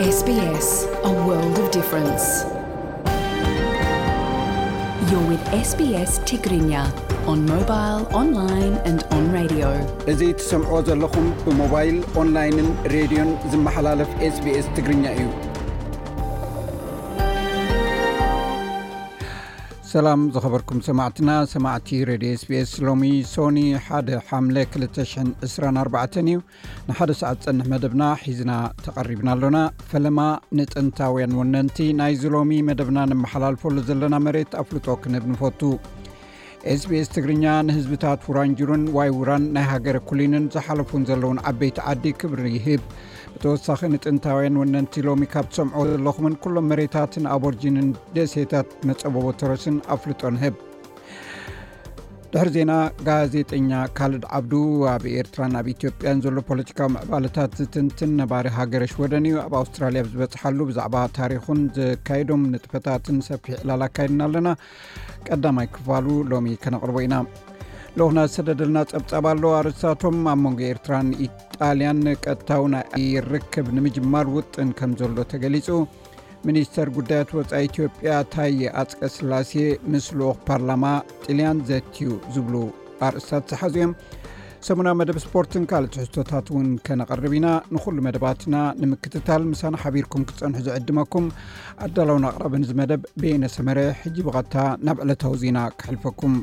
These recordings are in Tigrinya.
S B S, a world of difference. You're with S B S Tigrinya on mobile, online and on radio. እዚ ትሰምዕዎ ዘለኹም ብሞባይል፣ ኦንላይንን ሬድዮን ዝመሓላለፍ S B S ትግርኛ እዩ። ሰላም ዝኸበርኩም ሰማዕትና፣ ሰማዕቲ ሬድዮ S B S፣ ሎሚ ሶኒ ሓደ ሓምለ ክልተ ሽሕን ዕስራን ኣርባዕተን እዩ። ንሓደ ሰዓት ዝጸንሕ መደብና ሒዝና ተቐሪብና ኣሎና። ፈለማ ንጥንታውያን ወነንቲ ናይዚ ሎሚ መደብና ነመሓላልፈሉ ዘለና መሬት ኣፍልጦ ክንህብ ንፈቱ። S B S ትግርኛ ንህዝብታት ውራንጅሩን ዋይ ውራን ናይ ሃገረ ኩሊንን ዝሓለፉን ዘለውን ዓበይቲ ዓዲ ክብሪ ይህብ። ብተወሳኺ ንጥንታውያን ወነንቲ ሎሚ ካብ ትሰምዕዎ ዘለኹምን ኩሎም መሬታትን ኣቦርጂንን ደሴታት መጸበቦ ተረስን ኣፍልጦ ንህብ። ድሕሪ ዜና፣ ጋዜጠኛ ካልድ ዓብዱ ኣብ ኤርትራን ኣብ ኢትዮጵያን ዘሎ ፖለቲካዊ ምዕባለታት ዝትንትን ነባሪ ሃገረ ሽወደን እዩ። ኣብ ኣውስትራልያ ኣብ ዝበጽሓሉ ብዛዕባ ታሪኹን ዘካየዶም ንጥፈታትን ሰፊሕ ዕላል ኣካይድና ኣለና። ቀዳማይ ክፋሉ ሎሚ ከነቕርቦ ኢና። ልኡኽና ዝሰደደልና ጸብጻብ ኣሎ። ኣርእስታቶም፣ ኣብ መንጎ ኤርትራን ኢጣልያን ቀጥታዊ ናይ ኣየር ርክብ ንምጅማር ውጥን ከም ዘሎ ተገሊጹ። ሚኒስተር ጉዳያት ወጻኢ ኢትዮጵያ ታየ ኣጽቀ ስላሴ ምስ ልኡኽ ፓርላማ ጥልያን ዘትዩ ዝብሉ ኣርእስታት ዝሓዙ እዮም። ሰሙናዊ መደብ ስፖርትን ካልእ ትሕዝቶታት እውን ከነቕርብ ኢና። ንኹሉ መደባትና ንምክትታል ምሳና ሓቢርኩም ክትጸንሑ ዝዕድመኩም ኣዳላውን ኣቕራብን እዚ መደብ በየነ ሰመረ። ሕጂ ብቐጥታ ናብ ዕለታዊ ዜና ከሕልፈኩም።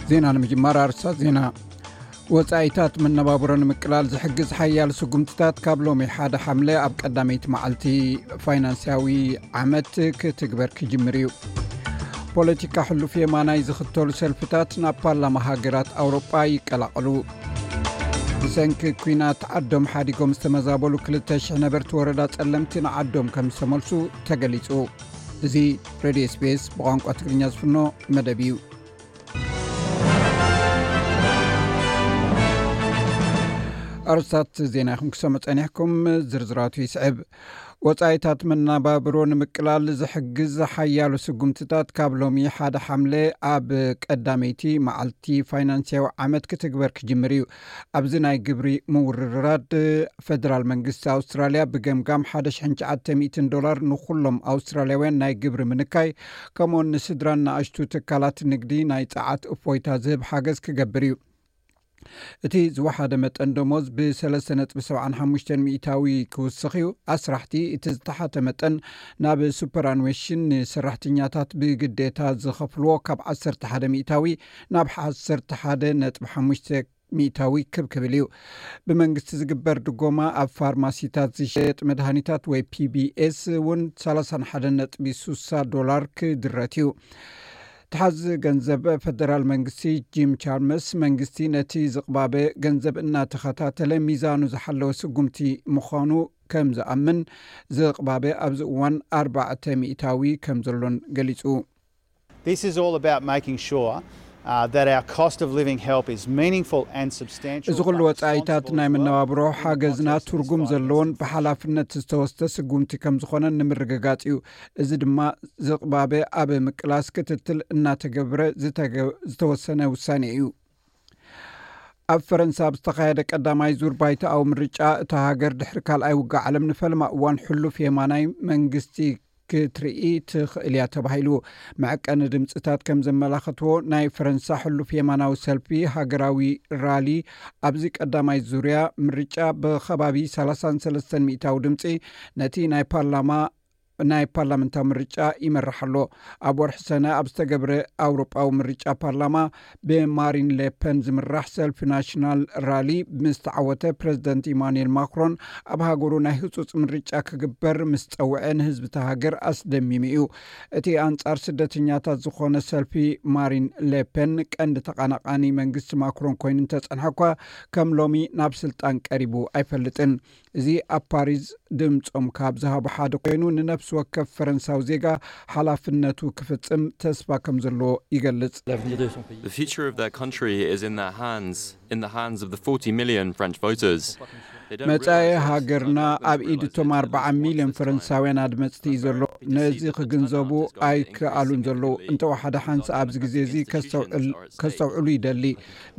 ዜና ንምጅማር ኣርእስታት ዜና። ወጻኢታት መነባብሮ ንምቅላል ዝሕግዝ ሓያል ስጉምትታት ካብ ሎሚ ሓደ ሓምለ ኣብ ቀዳመይቲ መዓልቲ ፋይናንስያዊ ዓመት ክትግበር ክጅምር እዩ። ፖለቲካ ሕሉፍ የማናይ ዝኽተሉ ሰልፍታት ናብ ፓርላማ ሃገራት ኣውሮጳ ይቀላቐሉ። ብሰንኪ ኲናት ዓዶም ሓዲጎም ዝተመዛበሉ ክልተ ሽሕ ነበርቲ ወረዳ ጸለምቲ ንዓዶም ከም ዝተመልሱ ተገሊጹ። እዚ ሬድዮ S B S ብቋንቋ ትግርኛ ዝፍኖ መደብ እዩ። ኣርእስታት ዜና ኢኹም ክሰምዑ ጸኒሕኩም፣ ዝርዝራቱ ይስዕብ። ወጻኢታት መነባብሮ ንምቅላል ዝሕግዝ ሓያሎ ስጉምትታት ካብ ሎሚ ሓደ ሓምለ ኣብ ቀዳመይቲ መዓልቲ ፋይናንስያዊ ዓመት ክትግበር ክጅምር እዩ። ኣብዚ ናይ ግብሪ ምውርራድ፣ ፈደራል መንግስቲ ኣውስትራልያ ብገምጋም ሓደ ሽሕን ትሽዓተ ሚእትን ዶላር ንኹሎም ኣውስትራልያውያን ናይ ግብሪ ምንካይ፣ ከምኡውን ንስድራን ንኣሽቱ ትካላት ንግዲ ናይ ጸዓት እፎይታ ዝህብ ሓገዝ ክገብር እዩ። እቲ ዝወሓደ መጠን ደሞዝ ብሰለስተ ነጥቢ ሰብዓን ሓሙሽተን ሚእታዊ ክውስኽ እዩ። ኣስራሕቲ እቲ ዝተሓተ መጠን ናብ ሱፐራንዌሽን ንሰራሕተኛታት ብግዴታ ዝኸፍልዎ ካብ ዓሰርተ ሓደ ሚእታዊ ናብ ዓሰርተ ሓደ ነጥቢ ሓሙሽተ ሚእታዊ ክብ ክብል እዩ። ብመንግስቲ ዝግበር ድጎማ ኣብ ፋርማሲታት ዝሸየጥ መድሃኒታት ወይ P B S እውን ሰላሳን ሓደን ነጥቢ ሱሳ ዶላር ክድረት እዩ። ተሓዚ ገንዘብ ፈደራል መንግስቲ ጂም ቻልመርስ፣ መንግስቲ ነቲ ዝቕባበ ገንዘብ እናተኸታተለ ሚዛኑ ዝሓለወ ስጉምቲ ምዃኑ ከም ዝኣምን፣ ዝቕባበ ኣብዚ እዋን ኣርባዕተ ሚእታዊ ከም ዘሎን ገሊጹ። This is all about making sure, uh, that our cost of living help is meaningful and substantial. እዚ ኩሉ ወጻኢታት ናይ መነባብሮ ሓገዝና ትርጉም ዘለዎን ብሓላፍነት ዝተወስደ ስጉምቲ ከም ዝኾነ ንምርግጋጽ እዩ። እዚ ድማ ዝቕባበ ኣብ ምቅላስ ክትትል እናተገብረ ዝተገ-፣ ዝተወሰነ ውሳኔ እዩ። ኣብ ፈረንሳ ኣብ ዝተኻየደ ቀዳማይ ዙር ባይቶኣዊ ምርጫ እታ ሃገር ድሕሪ ካልኣይ ውግእ ዓለም ንፈለማ እዋን ሕሉፍ የማናይ መንግስቲ ክትርኢ ትኽእል እያ ተባሂሉ። መዐቀኒ ድምፅታት ከም ዘመላኸትዎ፣ ናይ ፈረንሳ ሕሉፍ የማናዊ ሰልፊ ሃገራዊ ራሊ ኣብዚ ቀዳማይ ዙርያ ምርጫ ብኸባቢ ሰላሳን ሰለስተን ሚእታዊ ድምፂ ነቲ ናይ ፓርላማ ናይ ፓርላመንታዊ ምርጫ ይመርሕ ኣሎ። ኣብ ወርሒ ሰነ ኣብ ዝተገብረ ኣውሮጳዊ ምርጫ ፓርላማ ብማሪን ሌፐን ዝምራሕ ሰልፊ ናሽናል ራሊ ምስ ተዓወተ፣ ፕረዚደንት ኢማኑኤል ማክሮን ኣብ ሃገሩ ናይ ህጹጽ ምርጫ ክግበር ምስ ጸውዐ፣ ንህዝቢ እታ ሃገር ኣስደሚሙ እዩ። እቲ ኣንጻር ስደተኛታት ዝኾነ ሰልፊ ማሪን ሌፐን ቀንዲ ተቐናቓኒ መንግስቲ ማክሮን ኮይኑ እንተጸንሐ እኳ፣ ከም ሎሚ ናብ ስልጣን ቀሪቡ ኣይፈልጥን። እዚ ኣብ ፓሪስ ድምጾም ካብ ዝሃቡ ሓደ ኮይኑ፣ ንነፍሲ ወከፍ ፈረንሳዊ ዜጋ ሓላፍነቱ ክፍጽም ተስፋ ከም ዘለዎ ይገልጽ። The future of their country is in their hands, in the hands of the forty million French voters. መጻኢ ሃገርና ኣብ ኢድ እቶም ኣርባዓ ሚልዮን ፈረንሳውያን ኣድመጽቲ እዩ ዘሎ። ነዚ ክግንዘቡ ኣይከኣሉን ዘለዉ። እንተወሓደ ሓንሳእ ኣብዚ ግዜ እዚ ከስተውዕል-፣ ከስተውዕሉ ይደሊ።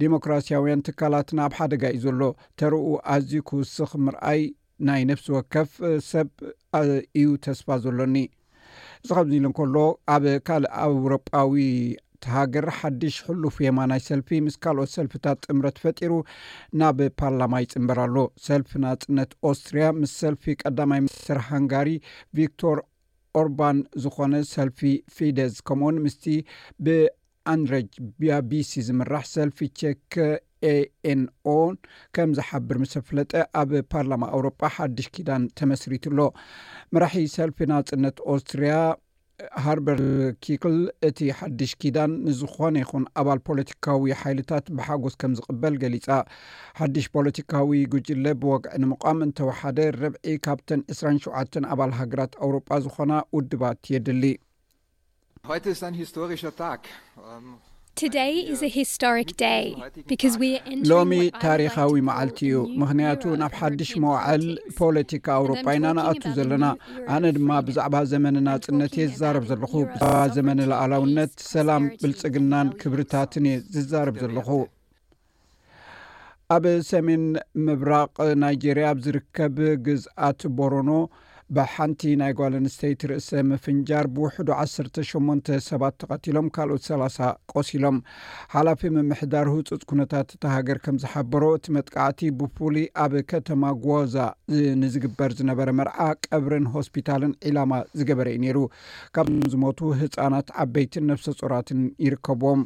ዲሞክራሲያውያን ትካላትና ኣብ ሓደጋ እዩ ዘሎ። ተርኡ ኣዝዩ ክውስኽ ምርኣይ ናይ ነፍሲ ወከፍ ሰብ እዩ ተስፋ ዘሎኒ። እዚ ካብዚ ኢሉ እንከሎ፣ ኣብ ካልእ ኣውሮጳዊ ሃገር ሓድሽ ሕሉፍ የማናይ ሰልፊ ምስ ካልኦት ሰልፍታት ጥምረት ፈጢሩ ናብ ፓርላማ ይጽንበር ኣሎ። ሰልፊ ናጽነት ኦስትርያ ምስ ሰልፊ ቀዳማይ ሚኒስትር ሃንጋሪ ቪክቶር ኦርባን ዝኾነ ሰልፊ ፊደዝ፣ ከምኡውን ምስቲ ብኣንድረጅ ቢያቢሲ ዝምራሕ ሰልፊ ቼክ ኤኤንኦ ከም ዝሓብር ምስ ኣፍለጠ፣ ኣብ ፓርላማ ኣውሮጳ ሓድሽ ኪዳን ተመስሪቱ ኣሎ። መራሒ ሰልፊ ናጽነት ኦስትርያ ሃርበርት ኪክል፣ እቲ ሓድሽ ኪዳን ንዝኾነ ይኹን ኣባል ፖለቲካዊ ሓይልታት ብሓጎስ ከም ዝቕበል ገሊጻ። ሓድሽ ፖለቲካዊ ጉጅለ ብወግዒ ንምቋም እንተወሓደ፣ ርብዒ ካብተን ዕስራን ሸውዓተን ኣባል ሃገራት ኣውሮጳ ዝኾና ውድባት የድሊ። Heute ist ein historischer Tag. Ähm, Today is a historic day because we are entering ሎሚ what I would like ታሪኻዊ to call መዓልቲ a እዩ፣ new ምኽንያቱ era ናብ of ሓድሽ European መዋዕል politics. ፖለቲካ ኣውሮጳ ኢና ንኣቱ ዘለና። ኣነ ድማ ብዛዕባ ዘመን ናጽነት እየ ዝዛረብ ዘለኹ። ብዛዕባ ዘመን ሉዓላውነት፣ ሰላም፣ ብልጽግናን ክብርታትን እየ ዝዛረብ ዘለኹ። ኣብ ሰሜን ምብራቕ ናይጄርያ ኣብ ዝርከብ ግዝኣት ቦሮኖ ብሓንቲ ናይ ጓል ኣንስተይቲ ርእሰ ምፍንጃር ብውሕዱ ዓሰርተ ሸሞንተ ሰባት ተቐቲሎም፣ ካልኦት ሰላሳ ቆሲሎም። ሓላፊ ምምሕዳር ህጹጽ ኩነታት እታ ሃገር ከም ዝሓበሮ፣ እቲ መጥቃዕቲ ብፍሉይ ኣብ ከተማ ጓዛ ንዝግበር ዝነበረ መርዓ፣ ቀብርን ሆስፒታልን ዒላማ ዝገበረ እዩ ነይሩ። ካብዞም ዝሞቱ ህጻናት፣ ዓበይትን ነፍሰ ጾራትን ይርከብዎም።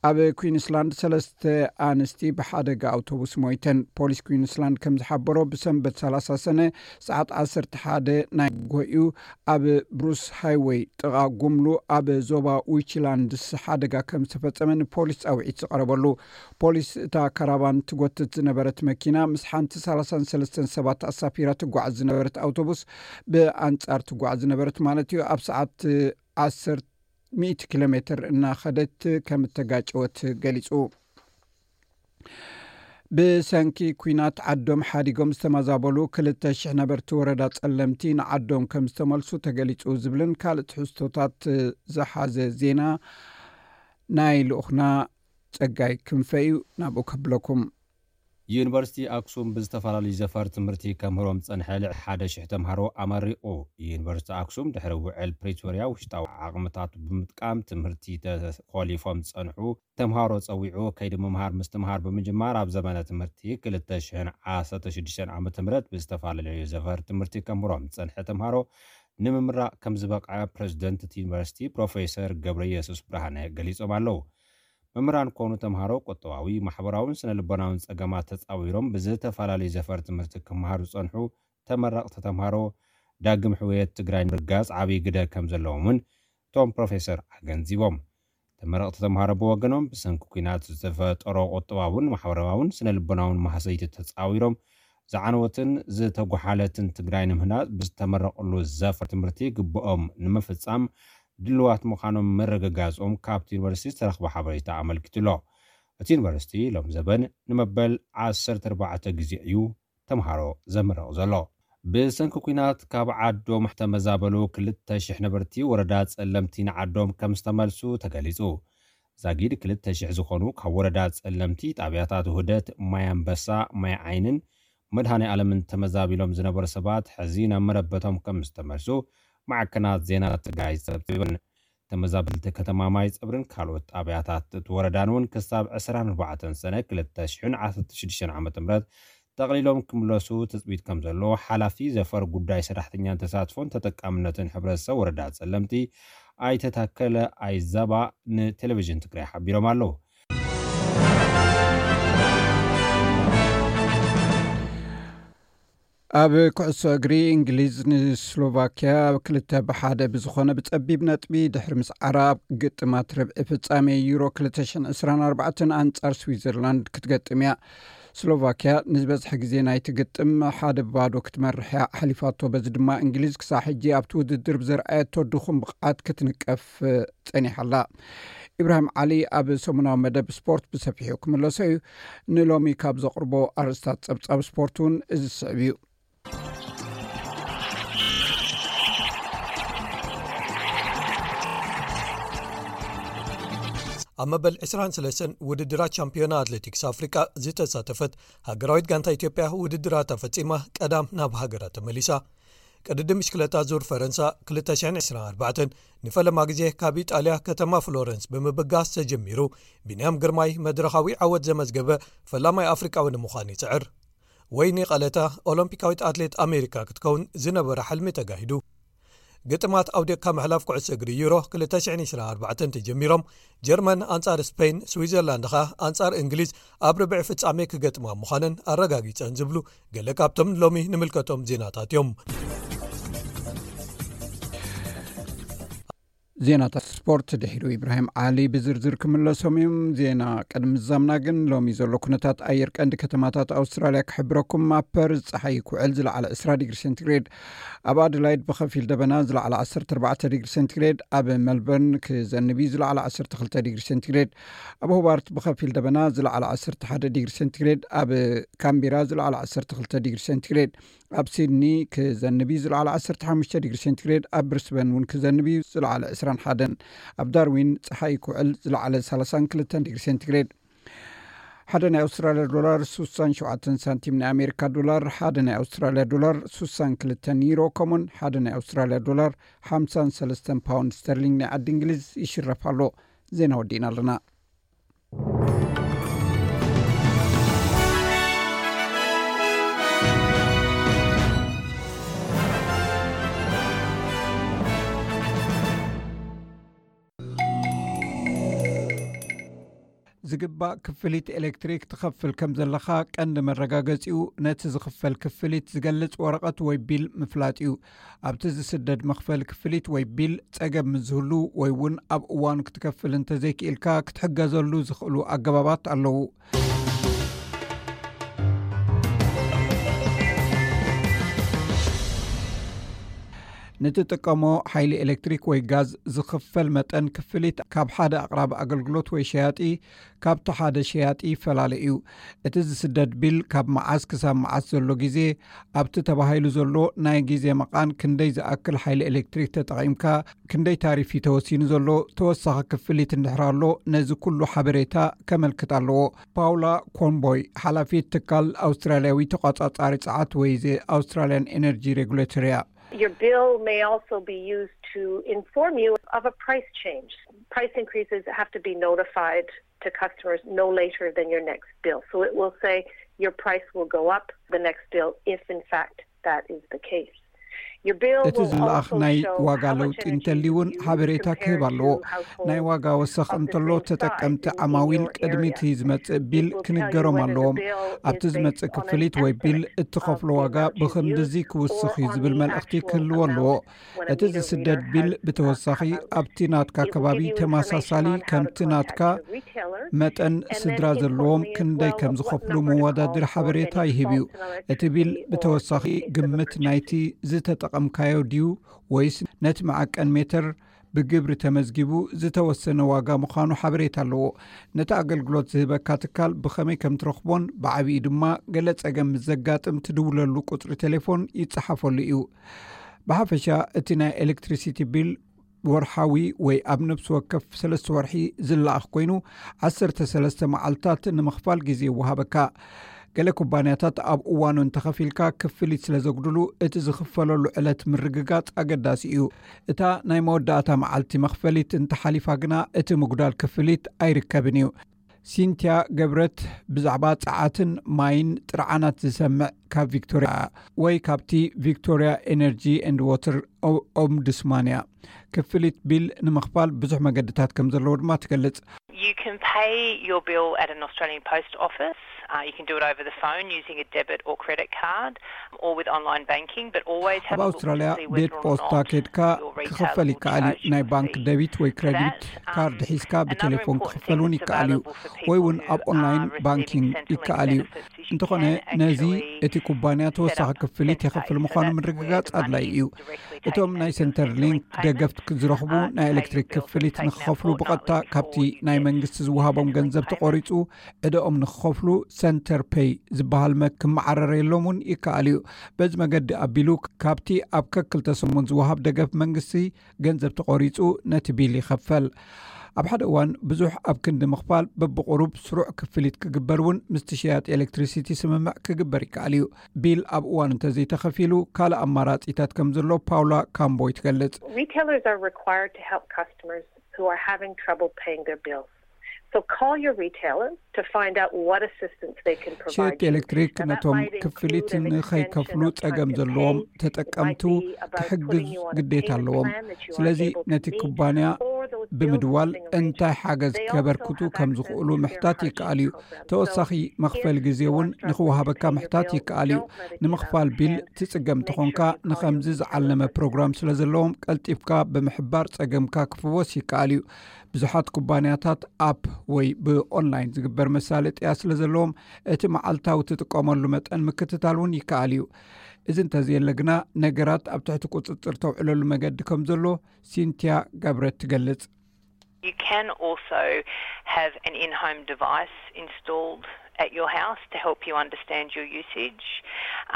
ኣብ ኩዊንስላንድ ሰለስተ ኣንስቲ ብሓደጋ ኣውቶቡስ ሞይተን። ፖሊስ ኩዊንስላንድ ከም ዝሓበሮ፣ ብሰንበት ሰላሳ ሰነ ሰዓት ዓሰርተ ሓደ ናይ ጎዩ ኣብ ብሩስ ሃይወይ ጥቓ ጉምሉ ኣብ ዞባ ዊችላንድስ ሓደጋ ከም ዝተፈጸመ ንፖሊስ ጻውዒት ዝቐረበሉ። ፖሊስ እታ ካራቫን ትጎትት ዝነበረት መኪና ምስ ሓንቲ ሰላሳን ሰለስተን ሰባት ኣሳፊራ ትጓዓዝ ዝነበረት ኣውቶቡስ ብኣንጻር ትጓዓዝ ዝነበረት ማለት እዩ ኣብ ሰዓት ዓሰርተ ሚእቲ ኪሎ ሜትር እናኸደት ከም እተጋጨወት ገሊጹ። ብሰንኪ ኲናት ዓዶም ሓዲጎም ዝተመዛበሉ ክልተ ሽሕ ነበርቲ ወረዳ ጸለምቲ ንዓዶም ከም ዝተመልሱ ተገሊጹ ዝብልን ካልእ ትሕዝቶታት ዝሓዘ ዜና ናይ ልኡኽና ጸጋይ ክንፈ እዩ። ናብኡ ከብለኩም። ዩኒቨርሲቲ ኣክሱም ብዝተፈላለዩ ዘፈር ትምህርቲ ከምህሮም ዝጸንሐ ልዕሊ ሓደ ሽሕ ተምሃሮ ኣመሪቑ። ዩኒቨርሲቲ ኣክሱም ድሕሪ ውዕል ፕሪቶርያ ውሽጣዊ ዓቕምታቱ ብምጥቃም ትምህርቲ ተኾሊፎም ዝጸንሑ ተምሃሮ ጸዊዑ ከይዲ ምምሃር ምስትምሃር ብምጅማር ኣብ ዘመነ ትምህርቲ ክልተ ሽሕን ዓሰርተ ሽዱሽተን ዓመተ ምህረት ብዝተፈላለዩ ዘፈር ትምህርቲ ከምህሮም ዝጸንሐ ተምሃሮ ንምምራቕ ከም ዝበቕዐ ፕረዚደንት እቲ ዩኒቨርሲቲ ፕሮፌሰር ገብረየሱስ ብርሃነ ገሊጾም ኣለዉ። መምህራን ኮኑ ተምሃሮ ቁጠባዊ፣ ማሕበራውን ስነ ልቦናውን ጸገማት ተጻዊሮም ብዝተፈላለዩ ዘፈር ትምህርቲ ክመሃሩ ዝጸንሑ ተመረቕቲ ተምሃሮ ዳግም ሕውየት ትግራይ ንምርጋጽ ዓብዪ ግደ ከም ዘለዎም እውን እቶም ፕሮፌሰር ኣገንዚቦም። ተመረቕቲ ተምሃሮ ብወገኖም ብሰንኪ ኲናት ዝተፈጠሮ ቁጠባውን ማሕበራውን ስነ ልቦናውን ማህሰይቲ ተጻዊሮም ዝዓነወትን ዝተጓሓለትን ትግራይ ንምህናጽ ብዝተመረቕሉ ዘፈር ትምህርቲ ግብኦም ንምፍጻም ድልዋት ምዃኖም ምርግጋጾም ካብቲ ዩኒቨርሲቲ ዝተረኽበ ሓበሬታ ኣመልኪቱ ኣሎ። እቲ ዩኒቨርሲቲ ሎም ዘበን ንመበል ዓሰርተ ኣርባዕተ ግዜ እዩ ተምሃሮ ዘምርቕ ዘሎ። ብሰንኪ ኲናት ካብ ዓዶም ዝተመዛበሉ ክልተ ሽሕ ነበርቲ ወረዳ ጸለምቲ ንዓዶም ከም ዝተመልሱ ተገሊጹ። ዛጊድ ክልተ ሽሕ ዝኾኑ ካብ ወረዳ ጸለምቲ ጣብያታት ውህደት፣ ማይ ኣንበሳ፣ ማይ ዓይንን መድሃኔ ኣለምን ተመዛቢሎም ዝነበሩ ሰባት ሕዚ ናብ መረበቶም ከም ዝተመልሱ ማዕከናት ዜና ትግራይ ጸብጺበን። ተመዛበልቲ ከተማ ማይ ጸብርን ካልኦት ጣብያታት እቲ ወረዳን እውን ክሳብ ዕስራን ኣርባዕተን ሰነ ክልተ ሽሕን ዓሰርተ ሽዱሽተን ዓመተ ምህረት ጠቕሊሎም ክምለሱ ትጽቢት ከም ዘሎ ሓላፊ ዘፈር ጉዳይ ሰራሕተኛን ተሳትፎን ተጠቃምነትን ሕብረተሰብ ወረዳ ጸለምቲ ኣይተ ታከለ ኣይዛባ ንቴሌቪዥን ትግራይ ሓቢሮም ኣለዉ። ኣብ ኩዕሶ እግሪ፣ እንግሊዝ ንስሎቫኪያ ክልተ ብሓደ ብዝኾነ ብጸቢብ ነጥቢ ድሕሪ ምስዓራ፣ ኣብ ግጥማት ርብዒ ፍጻሜ ዩሮ ክልተ ሽሕን ዕስራን ኣርባዕተን ኣንጻር ስዊዘርላንድ ክትገጥም እያ። ስሎቫኪያ ንዝበዝሐ ግዜ ናይቲ ግጥም ሓደ ባዶ ክትመርሕ እያ ኣሕሊፋቶ። በዚ ድማ እንግሊዝ ክሳዕ ሕጂ ኣብቲ ውድድር ብዘርኣየቶ ድኹም ብቕዓት ክትንቀፍ ጸኒሓ ኣላ። ኢብራሂም ዓሊ ኣብ ሰሙናዊ መደብ ስፖርት ብሰፊሑ ክምለሶ እዩ። ንሎሚ ካብ ዘቕርቦ ኣርእስታት ጸብጻብ ስፖርት እውን እዚ ዝስዕብ እዩ። ኣብ መበል ዕስራን ሰለስተን ውድድራት ቻምፒዮና ኣትሌቲክስ ኣፍሪቃ ዝተሳተፈት ሃገራዊት ጋንታ ኢትዮጵያ ውድድራታ ፈጺማ ቀዳም ናብ ሃገራ ተመሊሳ። ቅድድም ብሽክለታ ዙር ፈረንሳ ክልተ ሽሕን ዕስራን ኣርባዕተን ንፈለማ ግዜ ካብ ኢጣልያ ከተማ ፍሎረንስ ብምብጋስ ተጀሚሩ፣ ቢንያም ግርማይ መድረኻዊ ዓወት ዘመዝገበ ፈላማይ ኣፍሪቃዊ ንምዃን ይጽዕር። ወይኒ ቀለታ ኦሎምፒካዊት ኣትሌት ኣሜሪካ ክትከውን ዝነበረ ሕልሚ ተጋሂዱ። ግጥማት ኣውዲቕካ ምሕላፍ ኩዕሶ እግሪ ዩሮ ክልተ ሽሕን ዕስራን ኣርባዕተን ተጀሚሮም፣ ጀርመን ኣንጻር ስፔን፣ ስዊዘርላንድ ኸኣ ኣንጻር እንግሊዝ ኣብ ርብዒ ፍጻሜ ክገጥማ ምዃነን ኣረጋጊጸን ዝብሉ ገለ ካብቶም ሎሚ ንምልከቶም ዜናታት እዮም። ዜናታት ስፖርት ድሒሩ ኢብራሂም ዓሊ ብዝርዝር ክምለሶም እዮም። ዜና ቅድሚ ምዛምና ግን ሎሚ ዘሎ ኩነታት ኣየር ቀንዲ ከተማታት ኣውስትራልያ ክሕብረኩም። ኣብ ፐርዝ ጸሓይ ክውዕል ዝለዓለ ዕስራ ዲግሪ ሴንቲግሬድ፣ ኣብ ኣደላይድ ብኸፊል ደበና ዝለዓለ ዓሰርተ ኣርባዕተ ዲግሪ ሴንቲግሬድ፣ ኣብ ሜልበርን ክዘንብ እዩ ዝለዓለ ዓሰርተ ክልተ ዲግሪ ሴንቲግሬድ፣ ኣብ ሆባርት ብኸፊል ደበና ዝለዓለ ዓሰርተ ሓደ ዲግሪ ሴንቲግሬድ፣ ኣብ ካምቢራ ዝለዓለ ዓሰርተ ክልተ ዲግሪ ሴንቲግሬድ፣ ኣብ ሲድኒ ክዘንብ እዩ ዝለዓለ ዓሰርተ ሓሙሽተ ዲግሪ ሴንቲግሬድ፣ ኣብ ብሪስበን እውን ክዘንብ እዩ ዝለዓለ ዕስራን ሓደን፣ ኣብ ዳርዊን ጸሓይ ክውዕል ዝለዓለ ሰላሳን ክልተን ዲግሪ ሴንቲግሬድ። ሓደ ናይ ኣውስትራልያ ዶላር ስሳን ሸውዓተን ሳንቲም፣ ናይ ኣሜሪካ ዶላር ሓደ ናይ ኣውስትራልያ ዶላር ስሳን ክልተን ዩሮ፣ ከምኡን ሓደ ናይ ኣውስትራልያ ዶላር ሓምሳን ሰለስተን ፓውንድ ስተርሊንግ ናይ ዓዲ እንግሊዝ ይሽረፍ ኣሎ። ዜና ወዲእና ኣለና። ዝግባእ ክፍሊት ኤሌክትሪክ ትኸፍል ከም ዘለኻ ቀንዲ መረጋገጺኡ ነቲ ዝኽፈል ክፍሊት ዝገልጽ ወረቐት ወይ ቢል ምፍላጥ እዩ። ኣብቲ ዝስደድ መኽፈሊ ክፍሊት ወይ ቢል ጸገም ምስ ዝህሉ ወይ እውን ኣብ እዋኑ ክትከፍል እንተዘይክኢልካ ክትሕገዘሉ ዝኽእሉ ኣገባባት ኣለዉ። ንትጥቀሞ ሓይሊ ኤሌክትሪክ ወይ ጋዝ ዝኽፈል መጠን ክፍሊት ካብ ሓደ ኣቕራቢ ኣገልግሎት ወይ ሸያጢ ካብቲ ሓደ ሸያጢ ይፈላለ እዩ። እቲ ዝስደድ ቢል ካብ መዓስ ክሳብ መዓስ ዘሎ ግዜ፣ ኣብቲ ተባሂሉ ዘሎ ናይ ግዜ መቓን ክንደይ ዝኣክል ሓይሊ ኤሌክትሪክ ተጠቒምካ፣ ክንደይ ታሪፍ እዩ ተወሲኑ ዘሎ፣ ተወሳኺ ክፍሊት እንድሕር ኣሎ፣ ነዚ ኩሉ ሓበሬታ ከመልክት ኣለዎ። ፓውላ ኮንቦይ፣ ሓላፊት ትካል ኣውስትራልያዊ ተቋጻጻሪ ጸዓት ወይ ዘ ኣውስትራልያን ኤነርጂ ሬጉሌተር እያ። Your bill may also be used to inform you of a price change. Price increases have to be notified to customers no later than your next bill. So it will say your price will go up the next bill if, in fact, that is the case. Your bill እቲ will ዝለኣኽ also ናይ show ዋጋ how much ለውጢ energy እንተልዩ እውን you use ሓበሬታ ክህብ compared ኣለዎ። To households ናይ ዋጋ ወሰኽ of the እንተሎ same ተጠቀምቲ size in ዓማዊል your ቅድሚ area. እቲ ዝመጽእ ቢል It will tell you ክንገሮም whether the ኣለዎም። bill ኣብቲ is ዝመጽእ based on an ክፍሊት ወይ ቢል estimate እትኸፍሎ of the ዋጋ amount you ብኽንድዚ use ክውስኽ or እዩ on ዝብል the መልእኽቲ actual ክህልዎ ኣለዎ። amount እቲ ዝስደድ ቢል ብተወሳኺ ኣብቲ ናትካ ከባቢ ተመሳሳሊ ካብቲ ናትካ መጠን ስድራ ዘለዎም ክንደይ ከም ዝኸፍሉ መወዳድሪ ሓበሬታ ይህብ እዩ። እቲ ቢል ብተወሳኺ ግምት ናይቲ ዝተጠቐምካዮ ድዩ ወይስ ነቲ መዓቀን ሜተር ብግብሪ ተመዝጊቡ ዝተወሰነ ዋጋ ምዃኑ ሓበሬታ ኣለዎ። ነቲ ኣገልግሎት ዝህበካ ትካል ብኸመይ ከም ትረኽቦን ብዓቢኡ ድማ ገለ ጸገም ምስ ዘጋጥም ትድውለሉ ቁጽሪ ቴሌፎን ይጸሓፈሉ እዩ። ብሓፈሻ እቲ ናይ ኤሌክትሪሲቲ ቢል ወርሓዊ ወይ ኣብ ነፍሲ ወከፍ ሰለስተ ወርሒ ዝለኣኽ ኮይኑ፣ ዓሰርተ ሰለስተ መዓልታት ንምኽፋል ግዜ ይወሃበካ። ገለ ኩባንያታት ኣብ እዋኑ እንተኸፊልካ ክፍሊት ስለ ዘጉድሉ፣ እቲ ዝኽፈለሉ ዕለት ምርግጋጽ ኣገዳሲ እዩ። እታ ናይ መወዳእታ መዓልቲ መኽፈሊት እንተሓሊፋ ግና፣ እቲ ምጉዳል ክፍሊት ኣይርከብን እዩ። ሲንትያ ገብረት ብዛዕባ ጸዓትን ማይን ጥርዓናት ዝሰምዕ ካብ ቪክቶርያ ወይ ካብቲ ቪክቶርያ ኤነርጂ ኤንድ ዋተር ኦ-፣ ኦምቡድስማን እያ። ክፍሊት ቢል ንምኽፋል ብዙሕ መገድታት ከም ዘለዎ ድማ ትገልጽ። You can pay your bill at an Australian post office. Uh, you can do it over the phone using a debit or credit card or with online banking, but always have ኣብ ኣውስትራልያ ቤት ፖስታ ኬድካ ክኽፈል ይከኣል እዩ። ናይ ባንክ ደቢት ወይ ክሬዲት ካርድ ሒዝካ ብቴሌፎን ክኽፈል እውን ይከኣል እዩ፣ ወይ እውን ኣብ ኦንላይን ባንኪንግ ይከኣል እዩ። እንተኾነ ነዚ እቲ ኩባንያ ተወሳኺ ክፍሊት የኽፍል ምዃኑ ምርግጋጽ ኣድላይ እዩ። እቶም ናይ ሴንተር ሊንክ ደገፍት ዝረኽቡ ናይ ኤሌክትሪክ ክፍሊት ንክኸፍሉ ብቐጥታ ካብቲ ናይ መንግስቲ ዝወሃቦም ገንዘብ ተቖሪጹ ዕደኦም ንክኸፍሉ ሰንተር ፔይ ዝበሃል መ ክመዓረረየሎም እውን ይከኣል እዩ። በዚ መገዲ ኣቢሉ ካብቲ ኣብ ከክልተ ሰሙን ዝወሃብ ደገፍ መንግስቲ ገንዘብ ተቖሪጹ ነቲ ቢል ይኸፈል። ኣብ ሓደ እዋን ብዙሕ ኣብ ክንዲ ምኽፋል በብቑሩብ ስሩዕ ክፍሊት ክግበር እውን ምስቲ ሽያጥ ኤሌክትሪሲቲ ስምምዕ ክግበር ይከኣል እዩ። ቢል ኣብ እዋን እንተዘይተኸፊሉ ካልእ ኣማራጺታት ከም ዘሎ ፓውላ ካምቦይ ትገልጽ። Retailers are required to help customers who are having trouble paying their bills. So call your retailer to find out what assistance they can provide. ሸየጥቲ ኤሌክትሪክ ነቶም ክፍሊት ንኸይከፍሉ ጸገም ዘለዎም ተጠቀምቱ ክሕግዝ ግዴታ ኣለዎም። ስለዚ ነቲ ኩባንያ ብምድዋል እንታይ ሓገዝ ከበርክቱ ከም ዝኽእሉ ምሕታት ይከኣል እዩ። ተወሳኺ መኽፈል ግዜ እውን ንኽወሃበካ ምሕታት ይከኣል እዩ። ንምኽፋል ቢል ትጽገም እንተኾንካ ንኸምዚ ዝዓለመ ፕሮግራም ስለ ዘለዎም ቀልጢፍካ ብምሕባር ጸገምካ ክፍወስ ይከኣል እዩ። ብዙሓት ኩባንያታት ኣፕ ወይ ብኦንላይን ዝግበር መሳለጥያ ስለ ዘለዎም እቲ መዓልታዊ ትጥቀመሉ መጠን ምክትታል እውን ይከኣል እዩ። እዚ እንተዘየለ ግና ነገራት ኣብ ትሕቲ ቁጽጽር ተውዕለሉ መገዲ ከም ዘሎ ሲንቲያ ገብረት ትገልጽ። You can also have an in-home device installed at your house to help you understand your usage.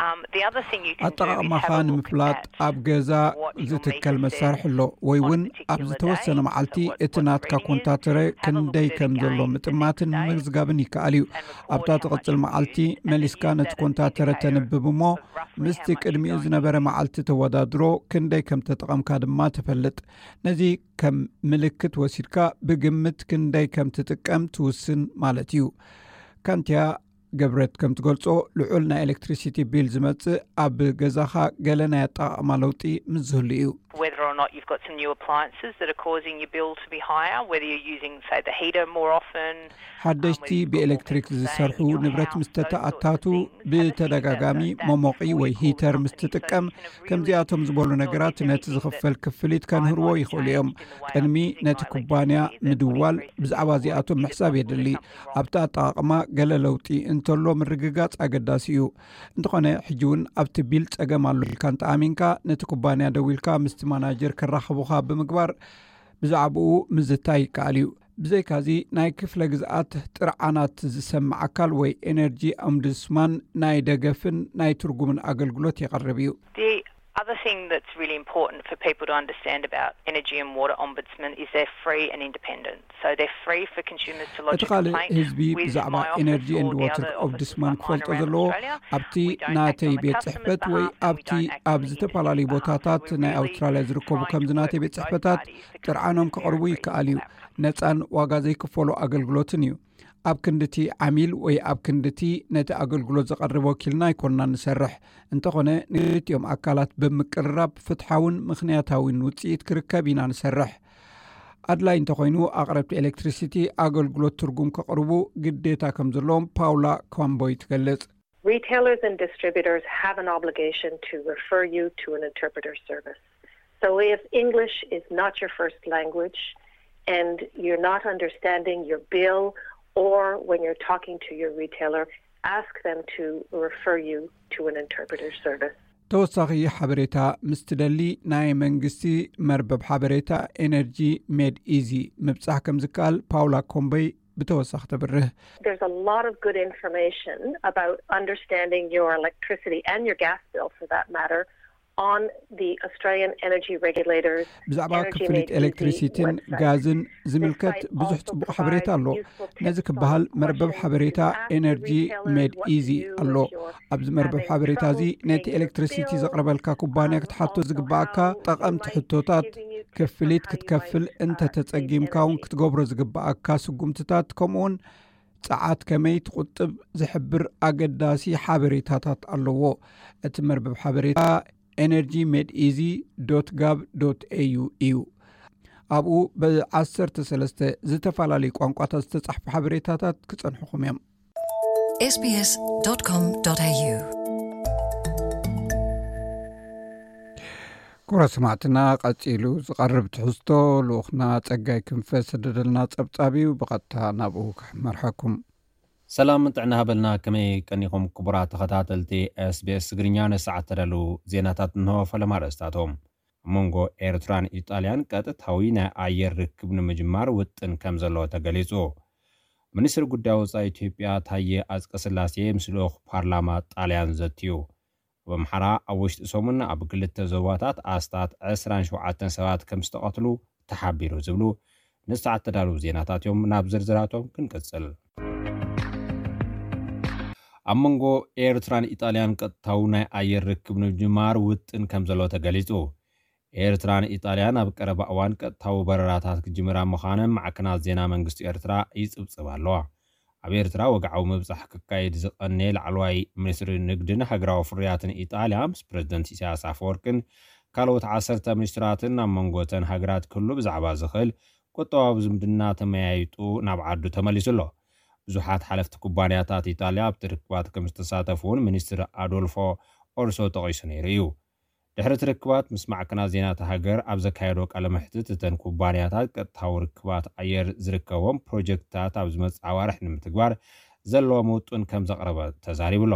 Um, the other thing you can do is have ኣጠቓቕማኻ a look ንምፍላጥ at ኣብ ገዛ what your ዝትከል meter መሳርሒ says ኣሎ፣ ወይ እውን on a particular ኣብ ዝተወሰነ day, መዓልቲ so what- እቲ what's ናትካ reading, ኮንታተረ have a look ክንደይ at it ከም ዘሎ again the ምጥማትን next day ምምዝጋብን ይከኣል እዩ። and record ኣብታ how much ትቕጽል you've መዓልቲ used, and then መሊስካ use ነቲ that as an ኮንታተረ indicator ተንብብ እሞ of roughly ምስቲ how much ቅድሚኡ you're ዝነበረ using. መዓልቲ ተወዳድሮ ክንደይ ከም ተጠቐምካ ድማ ትፈልጥ። ነዚ ከም ምልክት ወሲድካ ብግምት ክንደይ ከም ትጥቀም ትውስን ማለት እዩ። ካንቲያ ገብረት ከም ትገልጾ ልዑል ናይ ኤሌክትሪሲቲ ቢል ዝመጽእ ኣብ ገዛኻ ገለ ናይ ኣጠቓቕማ ለውጢ ምስ ዝህሉ እዩ። Whether or not you've got some new appliances that are causing your bill to be higher, whether you're using, say, the heater more often, ሓደሽቲ ብኤሌክትሪክ ዝሰርሑ ንብረት ምስ ተተኣታቱ ብተደጋጋሚ መሞቒ ወይ ሂተር ምስ ትጥቀም፣ ከምዚኣቶም ዝበሉ ነገራት ነቲ ዝኽፈል ክፍሊት ከንህርዎ ይኽእሉ እዮም። ቅድሚ ነቲ ኩባንያ ምድዋል ብዛዕባ እዚኣቶም ምሕሳብ የድሊ። ኣብቲ ኣጠቓቕማ ገለ ለውጢ እንተሎ ምርግጋጽ ኣገዳሲ እዩ። እንተኾነ ሕጂ እውን ኣብቲ ቢል ጸገም ኣሎ ኢልካ እንተኣሚንካ ነቲ ኩባንያ ደዊልካ ምስቲ ማናጀር ከራኽቡኻ ብምግባር ብዛዕባኡ ምዝታይ ይከኣል እዩ። ብዘይካዚ ናይ ክፍለ ግዝኣት ጥርዓናት ዝሰምዕ ኣካል ወይ ኤነርጂ ኦምቡድስማን ናይ ደገፍን ናይ ትርጉምን ኣገልግሎት የቕርብ እዩ። The other thing that's really important for people to understand about Energy and Water Ombudsman is they're free and independent. So they're free for consumers to lodge እቲ a ካልእ complaint ህዝቢ with ብዛዕባ my office ኤነርጂ or ኤንድ the ዋተር other ኦምቡድስማን ombudsman ክፈልጦ around ዘለዎ Australia. ኣብቲ ናተይ ቤት ጽሕፈት ወይ ኣብቲ ኣብ ዝተፈላለዩ ቦታታት ናይ ኣውስትራልያ ዝርከቡ ከምዚ ናተይ ቤት ጽሕፈታት ጥርዓኖም ከቕርቡ ይከኣል እዩ። ነጻን ዋጋ ዘይክፈሎ ኣገልግሎትን እዩ። ኣብ ክንድቲ ዓሚል ወይ ኣብ ክንድቲ ነቲ ኣገልግሎት ዘቐርብ ወኪልና ኣይኮንና ንሰርሕ። እንተኾነ ንክልቲኦም ኣካላት ብምቅርራብ ፍትሓውን ምኽንያታዊን ውጽኢት ክርከብ ኢና ንሰርሕ። ኣድላይ እንተኾይኑ ኣቕረብቲ ኤሌክትሪሲቲ ኣገልግሎት ትርጉም ከቕርቡ ግዴታ ከም ዘለዎም ፓውላ ካምቦይ ትገልጽ። Retailers and distributors have an obligation to refer you to an interpreter service. So if English is not your first language and you're not understanding your bill, or when you're talking to your retailer, ask them to refer you to an interpreter service. ተወሳኺ ሓበሬታ ምስ ትደሊ ናይ መንግስቲ መርበብ ሓበሬታ ኤነርጂ ሜድ ኢዚ ምብጻሕ ከም ዝከኣል ፓውላ ኮምቦይ ብተወሳኺ ተብርህ። There's a lot of good information about understanding your electricity and your gas bill, for that matter, on the Australian Energy Regulators. ብዛዕባ ክፍሊት ኤሌክትሪሲቲን ጋዝን ዝምልከት ብዙሕ ጽቡቕ ሓበሬታ ኣሎ። ነዚ ክበሃል መርበብ ሓበሬታ ኤነርጂ ሜድ ኢዚ ኣሎ። ኣብዚ መርበብ ሓበሬታ እዚ ነቲ ኤሌክትሪሲቲ ዘቕርበልካ ኩባንያ ክትሓቶ ዝግባኣካ ጠቐምቲ ሕቶታት፣ ክፍሊት ክትከፍል እንተተጸጊምካ እውን ክትገብሮ ዝግባኣካ ስጉምትታት፣ ከምኡውን ጸዓት ከመይ ትቑጥብ ዝሕብር ኣገዳሲ ሓበሬታታት ኣለዎ። እቲ መርበብ ሓበሬታ ኤነርጂ ሜድ ኢዚ ዶት ጋቭ ዶት ኤዩ እዩ። ኣብኡ ብ13 ዝተፈላለዩ ቋንቋታት ዝተጻሕፉ ሓበሬታታት ክጸንሑኹም እዮም። sbs.com.au ክቡራት ሰማዕትና፣ ቀጺሉ ዝቐርብ ትሕዝቶ ልኡኽና ጸጋይ ክንፈ ዝሰደደልና ጸብጻብ እዩ። ብቐጥታ ናብኡ ክመርሓኩም። ሰላም ጥዕና ሃበልና። ከመይ ቀኒኹም ክቡራት ተኸታተልቲ SBS ትግርኛ? ንሰዓት ተዳለዉ ዜናታት እንሆ። ፈለማ ኣርእስታቶም። ኣብ መንጎ ኤርትራን ኢጣልያን ቀጥታዊ ናይ ኣየር ርክብ ንምጅማር ውጥን ከም ዘሎ ተገሊጹ። ሚኒስትሪ ጉዳይ ወጻኢ ኢትዮጵያ ታየ ኣጽቀስላሴ ምስ ልኡኽ ፓርላማ ጣልያን ዘትዩ። ኣብ ኣምሓራ ኣብ ውሽጢ ሰሙን ኣብ ክልተ ዞባታት ኣስታት ዕስራን ሸውዓተን ሰባት ከም ዝተቐትሉ ተሓቢሩ ዝብሉ ንሰዓት ተዳለዉ ዜናታት እዮም። ናብ ዝርዝራቶም ክንቅጽል። ኣብ መንጎ ኤርትራን ኢጣልያን ቀጥታዊ ናይ ኣየር ርክብ ንምጅማር ውጥን ከም ዘሎ ተገሊጹ። ኤርትራን ኢጣልያን ኣብ ቀረባ እዋን ቀጥታዊ በረራታት ክጅምራ ምዃነን ማዕከናት ዜና መንግስቲ ኤርትራ ይጽብጽብ ኣለዋ። ኣብ ኤርትራ ወግዓዊ ምብጻሕ ክካየድ ዝቐነየ ላዕለዋይ ሚኒስትሪ ንግድን ሃገራዊ ፍርያትን ኢጣልያ ምስ ፕረዚደንት ኢሳያስ ኣፈወርቅን ካልኦት ዓሰርተ ሚኒስትራትን ኣብ መንጎ እተን ሃገራት ክህሉ ብዛዕባ ዝኽእል ቁጠባዊ ዝምድና ተመያይጡ ናብ ዓዱ ተመሊሱ ኣሎ። ብዙሓት ሓለፍቲ ኩባንያታት ኢጣልያ ኣብቲ ርክባት ከም ዝተሳተፉ እውን ሚኒስትር ኣዶልፎ ኦርሶ ጠቒሱ ነይሩ እዩ። ድሕሪ እቲ ርክባት ምስ ማዕከናት ዜና እታ ሃገር ኣብ ዘካየዶ ቃለ መሕትት፣ እተን ኩባንያታት ቀጥታዊ ርክባት ኣየር ዝርከቦም ፕሮጀክትታት ኣብ ዝመጽእ ኣዋርሕ ንምትግባር ዘለዎም ውጥን ከም ዘቕረበ ተዛሪቡ ኣሎ።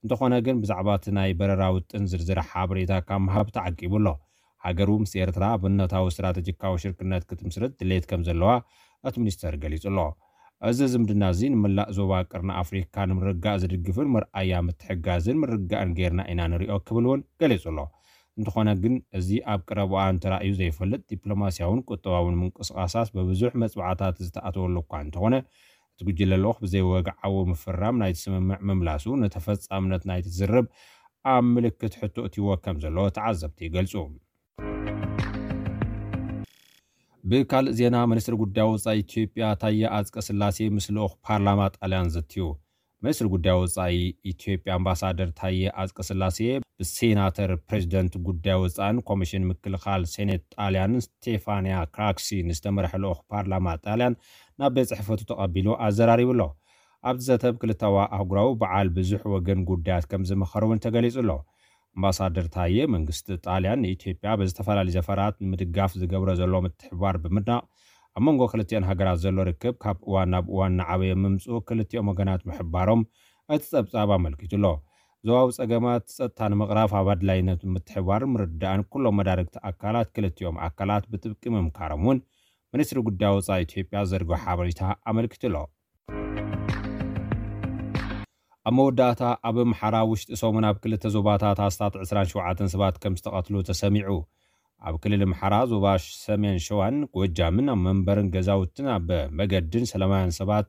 እንተኾነ ግን ብዛዕባ እቲ ናይ በረራ ውጥን ዝርዝር ሓበሬታ ካብ ምሃብ ተዓቂቡ ኣሎ። ሃገሩ ምስ ኤርትራ ኣብነታዊ ስትራተጂካዊ ሽርክነት ክትምስርት ድሌት ከም ዘለዋ እቲ ሚኒስተር ገሊጹ ኣሎ። እዚ ዝምድና እዚ ንመላእ ዞባ ቀርኒ ኣፍሪካ ንምርግጋእ ዝድግፍን መርኣያ ምትሕጋዝን ምርግጋእን ጌርና ኢና ንሪኦ ክብል እውን ገሊጹ ኣሎ። እንተኾነ ግን እዚ ኣብ ቀረባ እዋን ተራእዩ ዘይፈልጥ ዲፕሎማስያውን ቁጠባውን ምንቅስቓሳት ብብዙሕ መጽዋዕታት ዝተኣተወሉ እኳ እንተኾነ እቲ ጉጅለ ልኡኽ ብዘይወግዓዊ ምፍራም ናይቲ ስምምዕ ምምላሱ ንተፈጻምነት ናይቲ ዝርርብ ኣብ ምልክት ሕቶ እትይዎ ከም ዘሎ ተዓዘብቲ ይገልጹ። ብካልእ ዜና፣ ሚኒስትሪ ጉዳይ ወጻኢ ኢትዮጵያ ታየ ኣጽቀ ስላሴ ምስ ልኡኽ ፓርላማ ጣልያን ዘትዩ። ሚኒስትሪ ጉዳይ ወጻኢ ኢትዮጵያ ኣምባሳደር ታየ ኣጽቀ ስላሴ ብሴናተር ፕሬዚደንት ጉዳይ ወጻእን ኮሚሽን ምክልኻል ሴኔት ጣልያን ስቴፋንያ ክራክሲ ንዝተመርሐ ልኡኽ ፓርላማ ጣልያን ናብ ቤት ጽሕፈቱ ተቐቢሉ ኣዘራሪቡ ኣሎ። ኣብቲ ዘተ ብክልታዊ ኣህጉራዊ በዓል ብዙሕ ወገን ጉዳያት ከም ዝመኸሩ እውን ተገሊጹ ኣሎ። ኣምባሳደር ታየ መንግስቲ ጣልያን ንኢትዮጵያ ብዝተፈላለዩ ዘፈራት ንምድጋፍ ዝገብሮ ዘሎ ምትሕብባር ብምድናቕ ኣብ መንጎ ክልቲኦን ሃገራት ዘሎ ርክብ ካብ እዋን ናብ እዋን እናዓበየ ምምፅኡ ክልቲኦም ወገናት ምሕባሮም እቲ ፀብፃብ ኣመልኪቱ ኣሎ። ዞባዊ ፀገማት ፀጥታ ንምቕራፍ ኣብ ኣድላይነት ምትሕብባር ምርዳእን ኩሎም መዳርግቲ ኣካላት ክልቲኦም ኣካላት ብጥብቂ ምምካሮም እውን ሚኒስትሪ ጉዳይ ወፃኢ ኢትዮጵያ ዘርግሖ ሓበሬታ ኣመልኪቱ ኣሎ። ኣብ መወዳእታ ኣብ ኣምሓራ ውሽጢ ሰሙን ኣብ ክልተ ዞባታት ኣስታት ዕስራን ሸውዓተን ሰባት ከም ዝተቐትሉ ተሰሚዑ። ኣብ ክልል ኣምሓራ ዞባ ሰሜን ሸዋን ጎጃምን ኣብ መንበርን ገዛውትን ኣብ መገድን ሰላማውያን ሰባት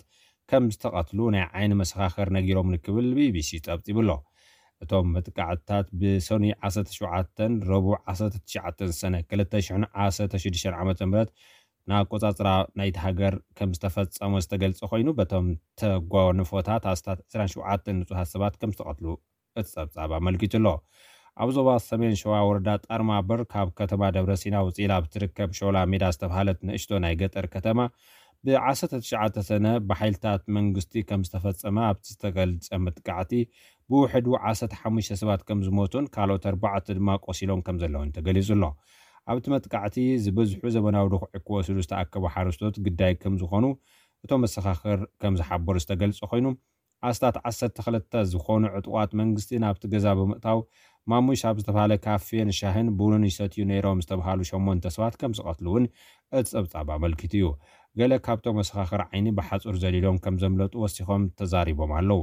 ከም ዝተቐትሉ ናይ ዓይኒ መሰኻኽር ነጊሮም ክብል ቢቢሲ ጸብጺቡ ኣሎ። እቶም መጥቃዕትታት ብሰኑይ ዓሰርተ ሸውዓተ ረቡዕ ዓሰርተ ትሽዓተ ሰነ ክልተ ሽሕን ዓሰርተ ሽዱሽተን ዓመተ ምህረት ንኣቆጻጽራ ናይቲ ሃገር ከም ዝተፈጸመ ዝተገልጸ ኮይኑ፣ በቶም ተጓንፎታት ኣስታት ዕስራን ሸውዓተን ንጹሃት ሰባት ከም ዝተቐትሉ እቲ ጸብጻብ ኣመልኪቱ ኣሎ። ኣብ ዞባ ሰሜን ሸዋ ወረዳ ጣርማበር ካብ ከተማ ደብረ ሲና ውጽኢላ ኣብ ትርከብ ሾላ ሜዳ ዝተባህለት ንእሽቶ ናይ ገጠር ከተማ ብ19 ሰነ ብሓይልታት መንግስቲ ከም ዝተፈጸመ ኣብቲ ዝተገልጸ መጥቃዕቲ ብውሕዱ ዓሰርተ ሓሙሽተ ሰባት ከም ዝሞቱን ካልኦት ኣርባዕተ ድማ ቆሲሎም ከም ዘለውን ተገሊጹ ኣሎ። ኣብቲ መጥቃዕቲ ዝበዝሑ ዘመናዊ ድኹዒ ክወስዱ ዝተኣከቡ ሓረስቶት ግዳይ ከም ዝኾኑ እቶም መሰኻኽር ከም ዝሓበሩ ዝተገልጸ ኮይኑ፣ ኣስታት ዓሰርተ ክልተ ዝኾኑ ዕጡቓት መንግስቲ ናብቲ ገዛ ብምእታው ማሙሽ ኣብ ዝተባህለ ካፌን ሻሂን ቡንን ይሰትዩ ነይሮም ዝተባሃሉ ሸሞንተ ሰባት ከም ዝቐትሉ እውን እቲ ጸብጻብ ኣመልኪቱ እዩ። ገለ ካብቶም መሰኻኽር ዓይኒ ብሓጹር ዘሊሎም ከም ዘምለጡ ወሲኾም ተዛሪቦም ኣለዉ።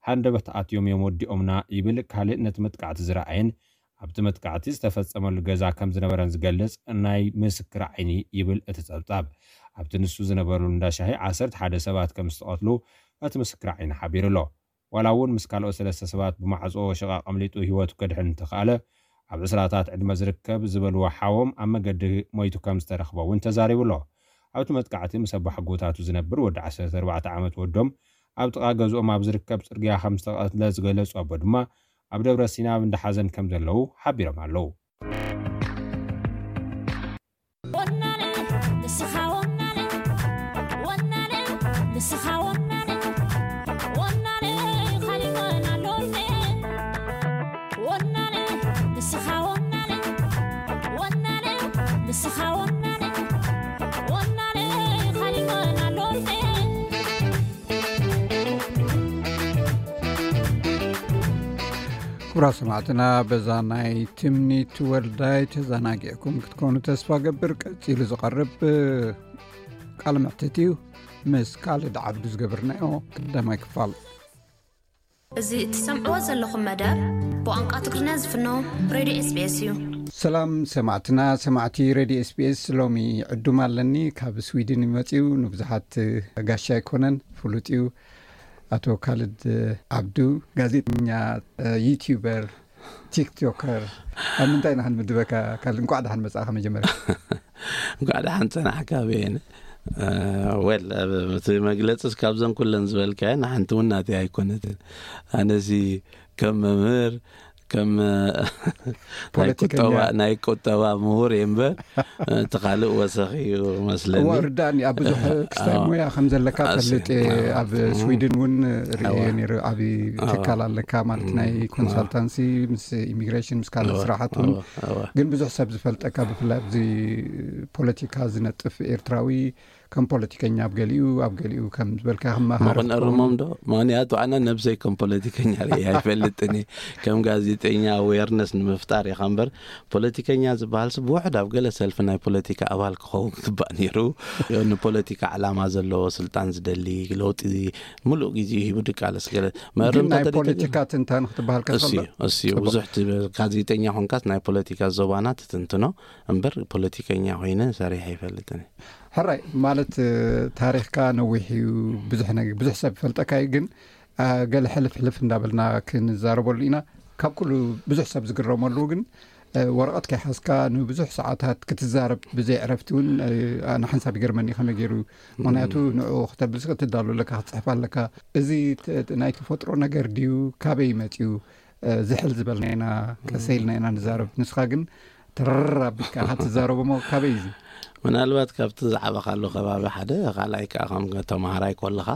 ሃንደበት ኣትዮም እዮም ወዲኦምና ይብል ካልእ ነቲ መጥቃዕቲ ዝረኣየን ኣብቲ መጥቃዕቲ ዝተፈጸመሉ ገዛ ከም ዝነበረን ዝገልጽ ናይ ምስክር ዓይኒ ይብል እቲ ጸብጻብ። ኣብቲ ንሱ ዝነበረሉ እንዳ ሻሂ ዓሰርተ ሓደ ሰባት ከም ዝተቐትሉ እቲ ምስክር ዓይኒ ሓቢሩ ኣሎ። ዋላ እውን ምስ ካልኦት ሰለስተ ሰባት ብማዕጾ ሽቓቕ ኣምሊጡ ህይወቱ ከድሕን እንተኸኣለ፣ ኣብ ዕስራታት ዕድመ ዝርከብ ዝበልዎ ሓዎም ኣብ መገዲ ሞይቱ ከም ዝተረኽበ እውን ተዛሪቡ ኣሎ። ኣብቲ መጥቃዕቲ ምስ ኣባሓጎታቱ ዝነብር ወዲ ዓሰርተ ኣርባዕተ ዓመት ወዶም ኣብ ጥቓ ገዝኦም ኣብ ዝርከብ ጽርግያ ከም ዝተቐትለ ዝገለጹ ኣቦ ድማ ኣብ ደብረ ሲና ኣብ እንዳ ሓዘን ከም ዘለዉ ሓቢሮም ኣለዉ። ንስኻ ወናነ፣ ወናነ፣ ካሊእ ወናን ኣሎ እንዴ? ወናነ፣ ንስኻ ወናነ፣ ወናነ፣ ንስኻ ወናነ፣ ወናነ፣ ካሊእ ወናን ኣሎ እንዴ? ክቡራት ሰማዕትና፣ በዛ ናይ ትምኒት ወልዳይ ተዘናጊዕኩም ክትኮኑ ተስፋ ገብር። ቀጺሉ ዝቐርብ ቃለ መሕትት እዩ። ምስ ካልድ ዓብዱ ዝገበርናዮ ቀዳማይ ክፋል። እዚ እትሰምዕዎ ዘለኹም መደብ ብቋንቋ ትግርኛ ዝፍኖ ሬድዮ ኤስ ቢ ኤስ እዩ። ሰላም ሰማዕትና፣ ሰማዕቲ ሬድዮ ኤስ ቢ ኤስ፣ ሎሚ ዕዱም ኣለኒ። ካብ ስዊድን እዩ መጺኡ። ንብዙሓት ጋሻ ኣይኮነን፣ ፍሉጥ እዩ። ኣቶ ካልድ ዓብዱ፣ ጋዜጠኛ፣ ዩቲዩበር፣ ቲክቶከር፣ ኣብ ምንታይ ኢና ክንምድበካ? ካልድ፣ እንኳዕ ደሓን መጻእካ መጀመርያ። እንኳዕ ደሓን ጸናሕካ ቤን። ወል፣ እቲ መግለጽስ ካብዘን ኩለን ዝበልካየን ሓንቲ እውን ናተይ ኣይኮነትን። ኣነሲ ከም መምህር፣ ከም ናይ ቁጠባ፣ ናይ ቁጠባ ምሁር እየ እምበር፣ እቲ ካልእ ወሰኽ እዩ መስለኒ። እዋ፣ ርዳእኒ፣ ኣብ ብዙሕ ክስታይ ሞያ ከም ዘለካ ፈልጥ እየ። ኣብ ስዊድን እውን ርእየ ነይሩ። ዓቢ ትካል ኣለካ ማለት፣ ናይ ኮንሳልታንሲ፣ ምስ ኢሚግሬሽን፣ ምስ ካልእ ስራሓት እውን። ግን ብዙሕ ሰብ ዝፈልጠካ፣ ብፍላይ ኣብዚ ፖለቲካ ዝነጥፍ ኤርትራዊ፣ ከም ፖለቲከኛ ኣብ ገሊኡ፣ ኣብ ገሊኡ ከም ዝበልካ ከም መሃሪ መቕነርሞም ዶ? ምኽንያቱ ኣነ ነብሰይ ከም ፖለቲከኛ ርእየ ኣይፈልጥን እየ። ከም ጋዜጠኛ ኣዌርነስ ንምፍጣር ኢኻ እምበር፣ ፖለቲከኛ ዝበሃልሲ ብውሕድ ኣብ ገለ ሰልፊ ናይ ፖለቲካ ኣባል ክኸውን ክግባእ ነይሩ። ንፖለቲካ ዕላማ ዘለዎ፣ ስልጣን ዝደሊ፣ ለውጢ ምሉእ ግዜኡ ሂቡ ድቃለስ ገለ መእረምታ ናይ ተደይተ ፖለቲካ ትንታን ክትበሃል ከስ እሱ ኣሎ? እሱ ጽቡቕ። ብዙሕ ት-፣ ጋዜጠኛ ኾንካስ ናይ ፖለቲካ ዞባና ትትንትኖ እምበር፣ ፖለቲከኛ ኮይነ ሰሪሐ ኣይፈልጥን። ሕራይ፣ ማለት፣ ታሪኽካ ነዊሕ እዩ፣ ብዙሕ ነገ-፣ ብዙሕ ሰብ ይፈልጠካ እዩ። ግን፣ አ፣ ገለ ሕልፍ ሕልፍ እንዳበልና ክንዛረበሉ ኢና። ካብ ኩሉ ብዙሕ ሰብ ዝግረመሉ ግን፣ አ፣ ወረቐት ከይሓዝካ ንብዙሕ ሰዓታት ክትዛረብ ብዘይ ዕረፍቲ እውን፣ አ፣ ኣነ ሓንሳብ ይገርመኒ ከመይ ገይሩ። ምኽንያቱ ንዕኡ ክተብልስ ክትዳሎ ኣለካ፣ ክትጽሕፍ ኣለካ። እዚ ተ-፣ ናይ ተፈጥሮ ነገር ድዩ? ካበይ መጺኡ? አ፣ ዝሕል ዝበልና ኢና፣ ቀሰ ኢልና ኢና ንዛረብ። ንስኻ ግን ተረር ኣቢልካ ኢኻ ትዛረብ እሞ፣ ካበይ እዩ እዚ? ምናልባት ካብቲ ዝዓበኻሉ ከባቢ ሓደ፣ ካልኣይ ከኣ ከም ተመሃራይ ከለኻ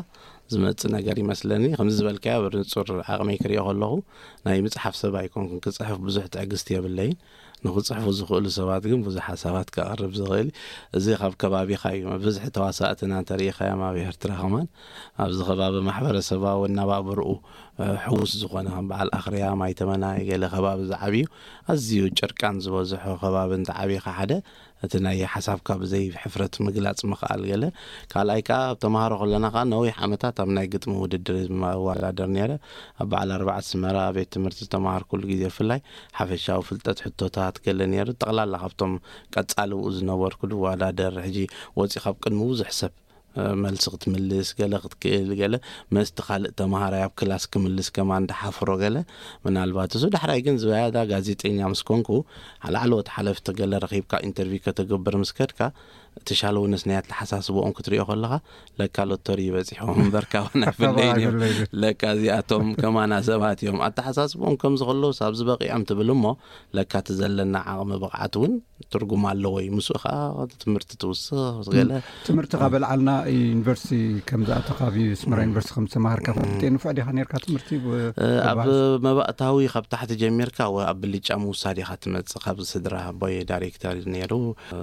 ዝመጽእ ነገር ይመስለኒ። ከምዚ ዝበልካዮ ብንጹር ዓቕመይ ክሪኦ ከለኹ፣ ናይ ምጽሓፍ ሰብ ኣይኮንኩን። ክጽሕፍ ብዙሕ ትዕግስቲ የብለይን። ንኽጽሕፉ ዝኽእሉ ሰባት ግን ብዙሕ ሓሳባት ከቕርብ ዝኽእል። እዚ ካብ ከባቢኻ እዩ። ብዝሒ ተዋሳእትና እንተሪኢኻዮም ኣብ ኤርትራ ከማን፣ ኣብዚ ከባቢ ማሕበረሰባዊ ኣነባብርኡ፣ እ፣ ሕዉስ ዝኾነ፣ ከም በዓል ኣኽርያ፣ ማይ ተመናይ፣ ገለ ከባቢ ዝዓብዩ፣ ኣዝዩ ጭርቃን ዝበዝሖ ከባቢ እንተዓቢኻ ሓደ፣ እቲ ናይ ሓሳብካ ብዘይ ሕፍረት ምግላጽ ምኽኣል ገለ። ካልኣይ ከኣ፣ ኣብ ተምሃሮ ከለና ከኣ፣ ነዊሕ ዓመታት ኣብ ናይ ግጥሚ ውድድር እወዳደር ነይረ። ኣብ በዓል ኣርባዓ ኣስመራ ቤት ትምህርቲ ዝተምሃርኩሉ ግዜ፣ ብፍላይ ሓፈሻዊ ፍልጠት፣ ሕቶታት ገለ ነይሩ። ጠቕላላ ካብቶም ቀጻሊ ብኡ ዝነበርኩ ዝወዳደር፣ ሕጂ ወጺኻ ኣብ ቅድሚ ብዙሕ ሰብ፣ እ፣ መልሲ ክትምልስ፣ ገለ ክትክእል፣ ገለ መስቲ ካልእ ተምሃራይ ኣብ ክላስ ክምልስ ከማን ድሓፍሮ ገለ። ምናልባት እሱ ዳሕራይ ግን ዝያዳ ጋዜጠኛ ምስ ኮንኩ፣ ላዕለዎት ሓለፍቲ ገለ ረኺብካ ኢንተርቪው ከተገብር ምስ ከድካ፣ እቲ ሻለውነስ ናይ ኣተሓሳስባኦም ክትሪኦ ከለኻ፣ ለካ ሎተሪ በጺሖም እምበር ካባና ኣይፍለዩን እዮም። ኣይፍለዩን። ለካ እዚኣቶም ከማና ሰባት እዮም። ኣተሓሳስባኦም ከምዚ ከለውስ ኣብዚ በቒዖም ትብል እሞ፣ ለካ እቲ ዘለና ዓቕሚ ብቕዓት እውን ትርጉም ኣለዎ እዩ። ምስኡ ኸዓ ትምህርቲ ትውስኽ ገለ። ትምህርቲ ካብ ኣልዓልና ዩኒቨርሲቲ ከም ዝኣተኻ፣ ኣብ ኣስመራ ዩኒቨርሲቲ ከም ዝተማሃርካ ፈልጥ እየ። ንፉዕ ዲኻ ነርካ ትምህርቲ ብ-፣ እ፣ ኣብ ተባህስ? መባእታዊ ካብ ታሕቲ ጀሚርካ ወ-፣ ኣብ ብልጫ ምውሳድ ኢኻ ትመጽእ። ካብ ስድራ ኣቦይ ዳይሬክተር እዩ ነይሩ።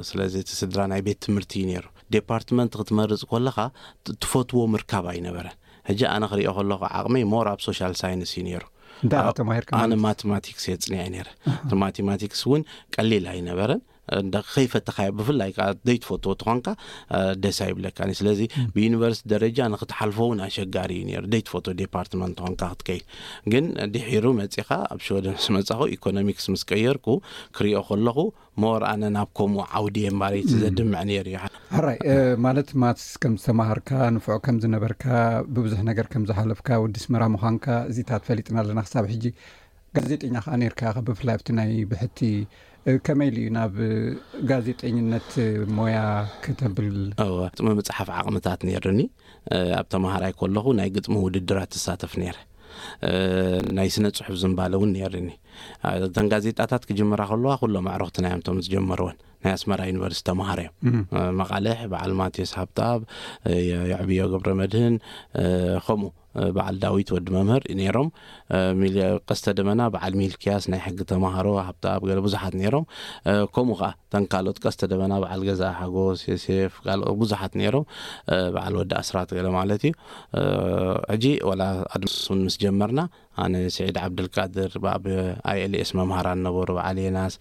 ስለዚ እቲ ስድራ ናይ ቤት ትምህርቲ እዩ ነይሩ። ዴፓርትመንት ክትመርጽ ከለኻ ት-፣ ትፈትዎ ምርካብ ኣይነበረን። ሕጂ ኣነ ክሪኦ ከለኹ ዓቕመይ ሞር ኣብ ሶሻል ሳይንስ እዩ ነይሩ። እንታይ ኢኻ ኣብ-፣ ተማሂርካ ኣነ ማለት? ማቴማቲክስ እየ ጽኒዐ ነይረ። ኣሃ። እቲ ማቴማቲክስ እውን ቀሊል ኣይነበረን። እንዳ ከይፈተኻዮ፣ ብፍላይ ከኣ ዘይትፈትዎ ተኾንካ፣ እ፣ ደስ ኣይብለካን እዩ። ስለዚ ም። ብዩኒቨርሲቲ ደረጃ ንክትሓልፎ እውን ኣሸጋሪ እዩ ነይሩ፣ ዘይትፈትዎ ዴፓርትመንት ተኾንካ ክትከይድ። ግን ድሒሩ መጺኻ ኣብ ሽወደን ምስ መጻኹ፣ ኢኮኖሚክስ ምስ ቀየርኩ ክሪኦ ከለኹ፣ ሞር ኣነ ናብ ከምኡ ዓውዲ እየ እምበኣር እቲ ም። ዘድምዕ ነይሩ እዩ። ሕራይ፣ እ፣ ማለት ማትስ ከም ዝተማሃርካ፣ ንፉዕ ከም ዝነበርካ፣ ብብዙሕ ነገር ከም ዝሓለፍካ፣ ወዲ ኣስመራ ምዃንካ፣ እዚታት ፈሊጥና ኣለና ክሳብ ሕጂ። ጋዜጠኛ ከኣ ነርካ ኢኻ፣ ብፍላይ ኣብቲ ናይ ብሕቲ። እ፣ ከመይ ኢሉ እዩ ናብ ጋዜጠኝነት ሞያ ከተብል? እወ፣ ግጥሚ ምጽሓፍ ዓቕምታት ነይሩኒ። እ፣ ኣብ ተማሃራይ ከለኹ ናይ ግጥሚ ውድድራት እሳተፍ ነይረ። እ፣ ናይ ስነ ጽሑፍ ዝንባለ እውን ነይሩኒ። እ፣ እተን ጋዜጣታት ክጅምራ ከለዋ ኩሎም ኣዕሩኽትና እዮም እቶም ዝጀመርወን። ናይ ኣስመራ ዩኒቨርሲቲ ተምሃሮ እዮም። መቓልሕ በዓል ማቴዎስ ሃብተኣብ፣ የዕብዮ ገብረ መድህን፣ ከምኡ በዓል ዳዊት ወዲ መምህር ነይሮም። ቀስተ ደመና በዓል ሚልክያስ ናይ ሕጊ ተምሃሮ፣ ሃብተኣብ፣ ገለ ብዙሓት ነይሮም። ከምኡ ከዓ ተን ካልኦት ቀስተ ደመና በዓል ገዛ ሓጎስ፣ ዮሴፍ፣ ካልኦት ብዙሓት ነይሮም። በዓል ወዲ ኣስራት ገለ ማለት እዩ። ሕጂ ወላ ኣድማስ እውን ምስ ጀመርና ኣነ፣ ስዒድ ዓብደልቃድር፣ ኣብ ኣይኤልኤስ መምሃራን ነበሩ፣ በዓል የናስ፣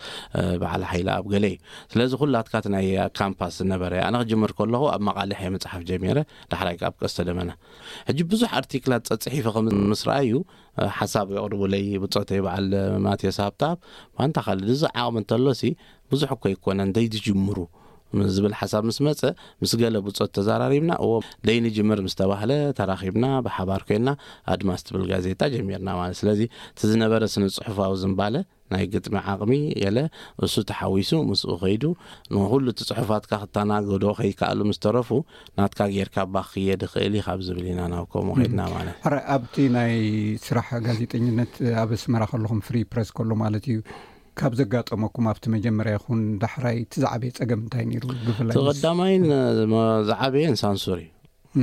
በዓል ሓይለ ኣብ ገለ እዩ። ስለዚ ኩላትካ እቲ ናይ ካምፓስ ዝነበረ፣ ኣነ ክጅምር ከለኹ ኣብ መቓልሕ እየ መፅሓፍ ጀሚረ፣ ዳሕራይ ኣብ ቀስተ ደመና። ሕጂ ብዙሕ ኣርቲክላት ጸጽሒፈ ከም ምስ ረኣዩ ሓሳብ የቕርቡለይ ብጾተይ በዓል ማቴዎስ ሃብተኣብ። ባንታ ካልድ እዚ ዓቕሚ እንተሎሲ ብዙሕ እኮ ይኮነ እንተይ ትጅምሩ ዝብል ሓሳብ ምስ መጸ፣ ምስ ገለ ብጾት ተዛራሪብና፣ እዎ ደይንጅምር ምስ ተባህለ ተራኺብና ብሓባር ኮይና ኣድማስ ትብል ጋዜጣ ጀሚርና ማለት። ስለዚ እቲ ዝነበረ ስነ ጽሑፋዊ ዝንባለ ናይ ግጥሚ ዓቕሚ የለ እሱ ተሓዊሱ ምስኡ ከይዱ ንኩሉ እቲ ጽሑፋትካ ክተናገዶ ከይከኣሉ ምስ ተረፉ ናትካ ጌርካ ባኽየ ድኽእል ኢኻ ኣብ ዝብል ኢና ናብ ከምኡ ከይድና ማለት። ሕረ ኣብቲ ናይ ስራሕ ጋዜጠኝነት ኣብ ኣስመራ ከለኹም ፍሪ ፕረስ ከሎ ማለት እዩ ካብ ዘጋጠመኩም ኣብቲ መጀመርያ ይኹን ዳሕራይ እቲ ዝዓበየ ጸገም እንታይ ነይሩ? ብፍላይ እቲ ምስ ቀዳማይን ዝዓበየን ሳንሱር እዩ።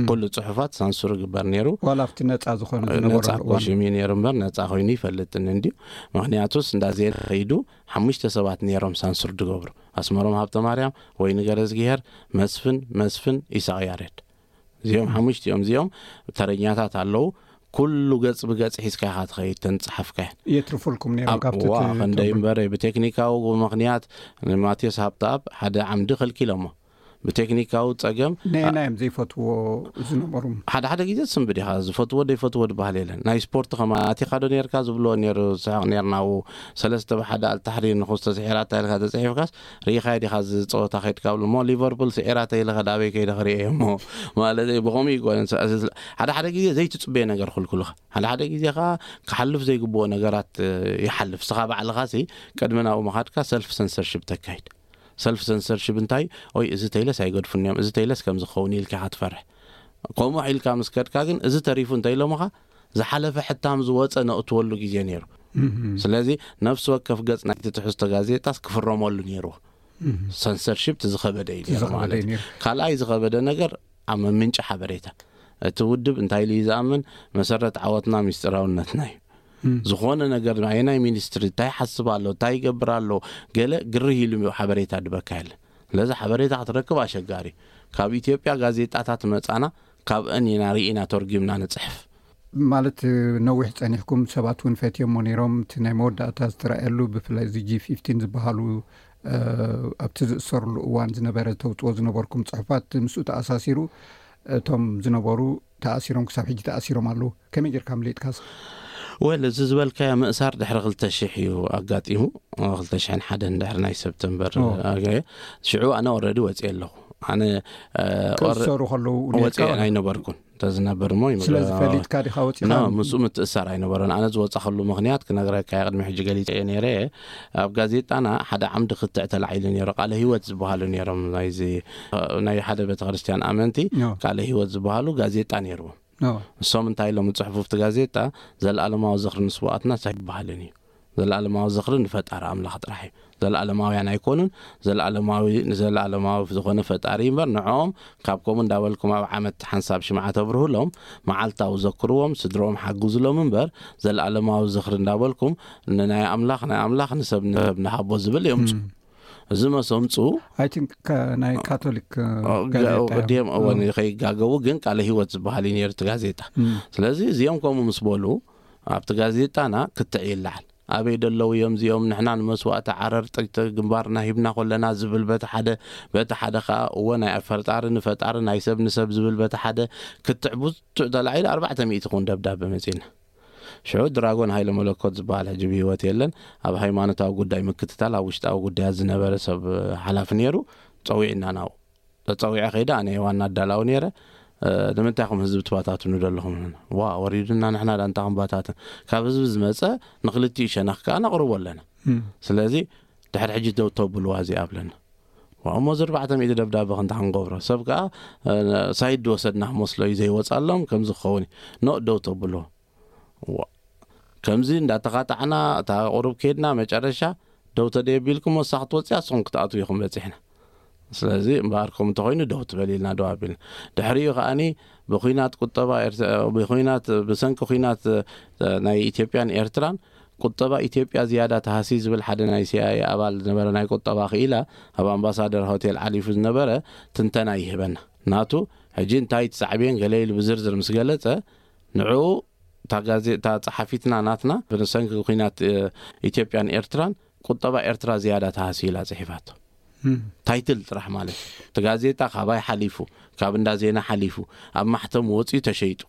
ኩሉ ጽሑፋት ሳንሱር ይግበር ነይሩ። ዋላ ኣብቲ ነጻ ዝኾነ ዝነበረሉ ነጻ እዋን ኮሽም እዩ ነይሩ እምበር ነጻ ኮይኑ ይፈልጥን እንድዩ። ምክንያቱስ እንዳ ዜና ከይዱ ሓሙሽተ ሰባት ነይሮም ሳንሱር ዝገብሩ። ኣስመሮም ሃብተ ማርያም፣ ወይኒ ገረዝግሄር፣ መስፍን መስፍን፣ ኢሳቕ ያሬድ። እዚኦም ሓሙሽቲኦም እዚኦም ተረኛታት ኣለዉ። ኩሉ ገጽ ብገጽ ሒዝካ ኢኻ ትኸይድ ተንጽሓፍካያን። የትርፉልኩም ነይሮም ኣብ- ካብቲ ዋ፣ ት- ክንደይ ትርፉል። እምበር ብቴክኒካዊ ምኽንያት ንማቴዎስ ሃብተኣብ ሓደ ዓምዲ ከልኪሎሞ። ብቴክኒካዊ ጸገም ነየናይ እዮም ዘይፈትዎ ዝነበሩ? ሓደ ሓደ ግዜ ትስንብድ ኢኻ፣ ዝፈትዎ ዘይፈትዎ ዝበሃል የለን። ናይ ስፖርት ከማን ኣቲኻ ዶ ነርካ ዝብልዎ ነይሩ፣ ስሕቕ ነርና። ኣብኡ ሰለስተ ብሓደ ኣልታሕሪር ንኹስተ ስዒራታ ኢልካ ተጽሒፍካስ ርኢኻዮ ዲኻ እዚ ጸወታ ከይድካ ብሎ እሞ ሊቨርፑል ስዒራታ ኢለ ከዳበይ ከይደ ክርእየ እሞ ማለት እዩ። ብኸምኡ ይኮነን። ሓደ ሓደ ግዜ ዘይትጽበዮ ነገር ክልኩልኻ፣ ሓደ ሓደ ግዜ ከዓ ክሓልፍ ዘይግብኦ ነገራት ይሓልፍ። ስኻ ባዕልኻሲ ቅድሚ ናብኡ ምኻድካ ሰልፍ ሰንሰርሽፕ ተካይድ። ሰልፍ ሰንሰርሽፕ እንታይ? ኦይ፣ እዚ ተይለስ ኣይገድፉን እዮም፣ እዚ ተይለስ ከም ዝኸውን ኢልካ ኢኻ ትፈርሕ። ከምኡ ኢልካ ምስ ከድካ ግን እዚ ተሪፉ እንተኢሎምኻ ዝሓለፈ ሕታም ዝወፀ ነእትወሉ ግዜ ነይሩ። ስለዚ ነፍሲ ወከፍ ገፅ ናይቲ ትሕዝቶ ጋዜጣስ ክፍረመሉ ነይርዎ። ሰንሰርሽፕ ዝኸበደ እዩ ነይሩ ማለት እዩ። ካልኣይ ዝኸበደ ነገር ኣብ ምንጪ ሓበሬታ። እቲ ውድብ እንታይ ኢሉ እዩ ዝኣምን? መሰረት ዓወትና ሚስጥራውነትና እዩ። ዝኾነ ነገር ኣየናይ ሚኒስትሪ እንታይ ሓስብ ኣሎ፣ እንታይ ይገብር ኣሎ፣ ገለ ግርህ ኢሉ ሓበሬታ ድበካ የለን። ስለዚ ሓበሬታ ክትረክብ ኣሸጋሪ እዩ። ካብ ኢትዮጵያ ጋዜጣታት መጻና ካብአን ኢና ርኢና ተርጒምና ንጽሕፍ። ማለት ነዊሕ ጸኒሕኩም ሰባት እውን ፈትዮሞ ነይሮም። እቲ ናይ መወዳእታ ዝተረኣየሉ ብፍላይ እዚ ጂ ፊፍቲን ዝበሃሉ ኣብቲ ዝእሰርሉ እዋን ዝነበረ ተውፅኦ ዝነበርኩም ፅሑፋት ምስኡ ተኣሳሲሩ እቶም ዝነበሩ ተኣሲሮም ክሳብ ሕጂ ተኣሲሮም ኣለዉ። ከመይ ጌርካ ምሊጥካስ? ወል እዚ ዝበልካዮ ምእሳር ድሕሪ ክልተ ሽሕ እዩ ኣጋጢሙ። ክልተ ሽሕን ሓደን ድሕሪ ናይ ሰብተምበር ሽዑ ኣነ ኦረዲ ወፅየ ኣለኹ። ኣነ ክእሰሩ ከለዉ ወፅየ ኣይነበርኩን። ተዝነብር እሞ ይምግብ። ስለዚ ፈሊጥካ ዲኻ ወፂኻ? ኖ፣ ምስኡ ምትእሳር ኣይነበረን። ኣነ ዝወፃኸሉ ምኽንያት ክነግረካ እየ፣ ቅድሚ ሕጂ ገሊፀ እየ ነይረ። ኣብ ጋዜጣና ሓደ ዓምዲ ክትዕ ተላዒሉ ነይሩ፣ ቃለ ህይወት ዝበሃሉ ነይሮም። ናይዚ ናይ ሓደ ቤተክርስትያን ኣመንቲ ኖ። ቃለ ህይወት ዝበሃሉ ጋዜጣ ነይርዎም። ኖ። እሶም እንታይ ኢሎም ዝፅሕፉ ኣብቲ ጋዜጣ? ዘለኣለማዊ ዝኽሪ ንስዋኣትና ኣይበሃልን እዩ። ዘለኣለማዊ ዝኽሪ ንፈጣሪ ኣምላኽ ጥራሕ እዩ። ዘለኣለማውያን ኣይኮኑን። ዘለኣለማዊ ንዘለኣለማዊ ዝኾነ ፈጣሪ እምበር ንዕኦም ካብ ከምኡ እንዳበልኩም ኣብ ዓመት ሓንሳብ ሽምዓ ተብርሁሎም፣ መዓልታዊ ዘክርዎም፣ ስድሮም ሓግዙሎም እምበር ዘለኣለማዊ ዝኽሪ እንዳበልኩም ንናይ ኣምላኽ ናይ ኣምላኽ ንሰብ ንሰብ ንሃቦ ዝብል የምፁ። እዚ መሰምፁ ኣይ ቲንክ ናይ ካቶሊክ ጋዜጣ እዮም። ቅድም እወን ከይጋገቡ ግን ቃለ ህይወት ዝበሃል እዩ ነይሩ እቲ ጋዜጣ። ስለዚ እዚኦም ከምኡ ምስ በሉ ኣብቲ ጋዜጣና ክትዕ ይለዓል። ኣበይ ደለዉ እዮም እዚኦም? ንሕና ንመስዋእቲ ዓረር ጥይት ግንባርና ሂብና ኮለና ዝብል በቲ ሓደ፣ በቲ ሓደ ኸኣ እወ ናይ ፈጣሪ ንፈጣሪ ናይ ሰብ ንሰብ ዝብል በቲ ሓደ ክትዕ ብዙሕ ተላዒሉ ኣርባዕተ ሚእቲ ክውን ደብዳበ መጺእና። ሽዑ ድራጎን ሃይለ መለኮት ዝበሃል ሕጂ ብህይወት የለን። ኣብ ሃይማኖታዊ ጉዳይ ምክትታል ኣብ ውሽጣዊ ጉዳያት ዝነበረ ሰብ ሓላፊ ነይሩ። ጸዊዕና ናብኡ። ተጸዊዐ ከይደ ኣነ ዋና ኣዳላዊ ነይረ። ንምንታይ ኢኹም ህዝቢ ትባታትኑ ዘለኹም? ዋ ወሪዱና ንሕና ዳንታ ክንባታትን። ካብ ህዝቢ ዝመጸ ንክልቲኡ ሸነኽ ከኣ ነቕርቦ ኣለና። ስለዚ ድሕሪ ሕጂ ደው ተብልዋ እዚኣ ኣብለና። ዋ እሞ እዚ ኣርባዕተ ሚእቲ ደብዳበ ክንታ ክንገብሮ ሰብ ከኣ ሳይድ ዝወሰድና ክመስሎ እዩ ዘይወጻሎም ከምዚ ክኸውን እዩ። ኖ ደው ተብልዎ። ዋ ከምዚ እንዳተኻጣዕና እታ ቁሩብ ከይድና መጨረሻ ደው ተደየቢልኩም ወሳኽ ትወፅያ ንስኹም ክትኣትዉ ኢኹም በፂሕና። ስለዚ እምበኣር ከምኡ እንተኾይኑ ደው ትበል ኢልና ደው ኣቢልና። ድሕሪኡ ከኣኒ ብኹናት ቁጠባ ኤርትራ ብኹናት ብሰንኪ ኹናት ናይ ኢትዮጵያን ኤርትራን ቁጠባ ኢትዮጵያ ዝያዳ ተሃሲ ዝብል ሓደ ናይ ሲኣይኤ ኣባል ዝነበረ ናይ ቁጠባ ክኢላ ኣብ ኣምባሳደር ሆቴል ዓሊፉ ዝነበረ ትንተና ይህበና። ናቱ ሕጂ እንታይ ትሳዕብየን ገለ ኢሉ ብዝርዝር ምስ ገለጸ ንዕኡ እታ ጋዜጣ ጸሓፊትና ናትና ብሰንኪ ኩናት ኢትዮጵያን ኤርትራን ቁጠባ ኤርትራ ዝያዳ ተሃስዩ ኢላ ጽሒፋቶ። ታይትል ጥራሕ ማለት እዩ። እቲ ጋዜጣ ካባይ ሓሊፉ ካብ እንዳ ዜና ሓሊፉ ኣብ ማሕተም ወፂኡ ተሸይጡ።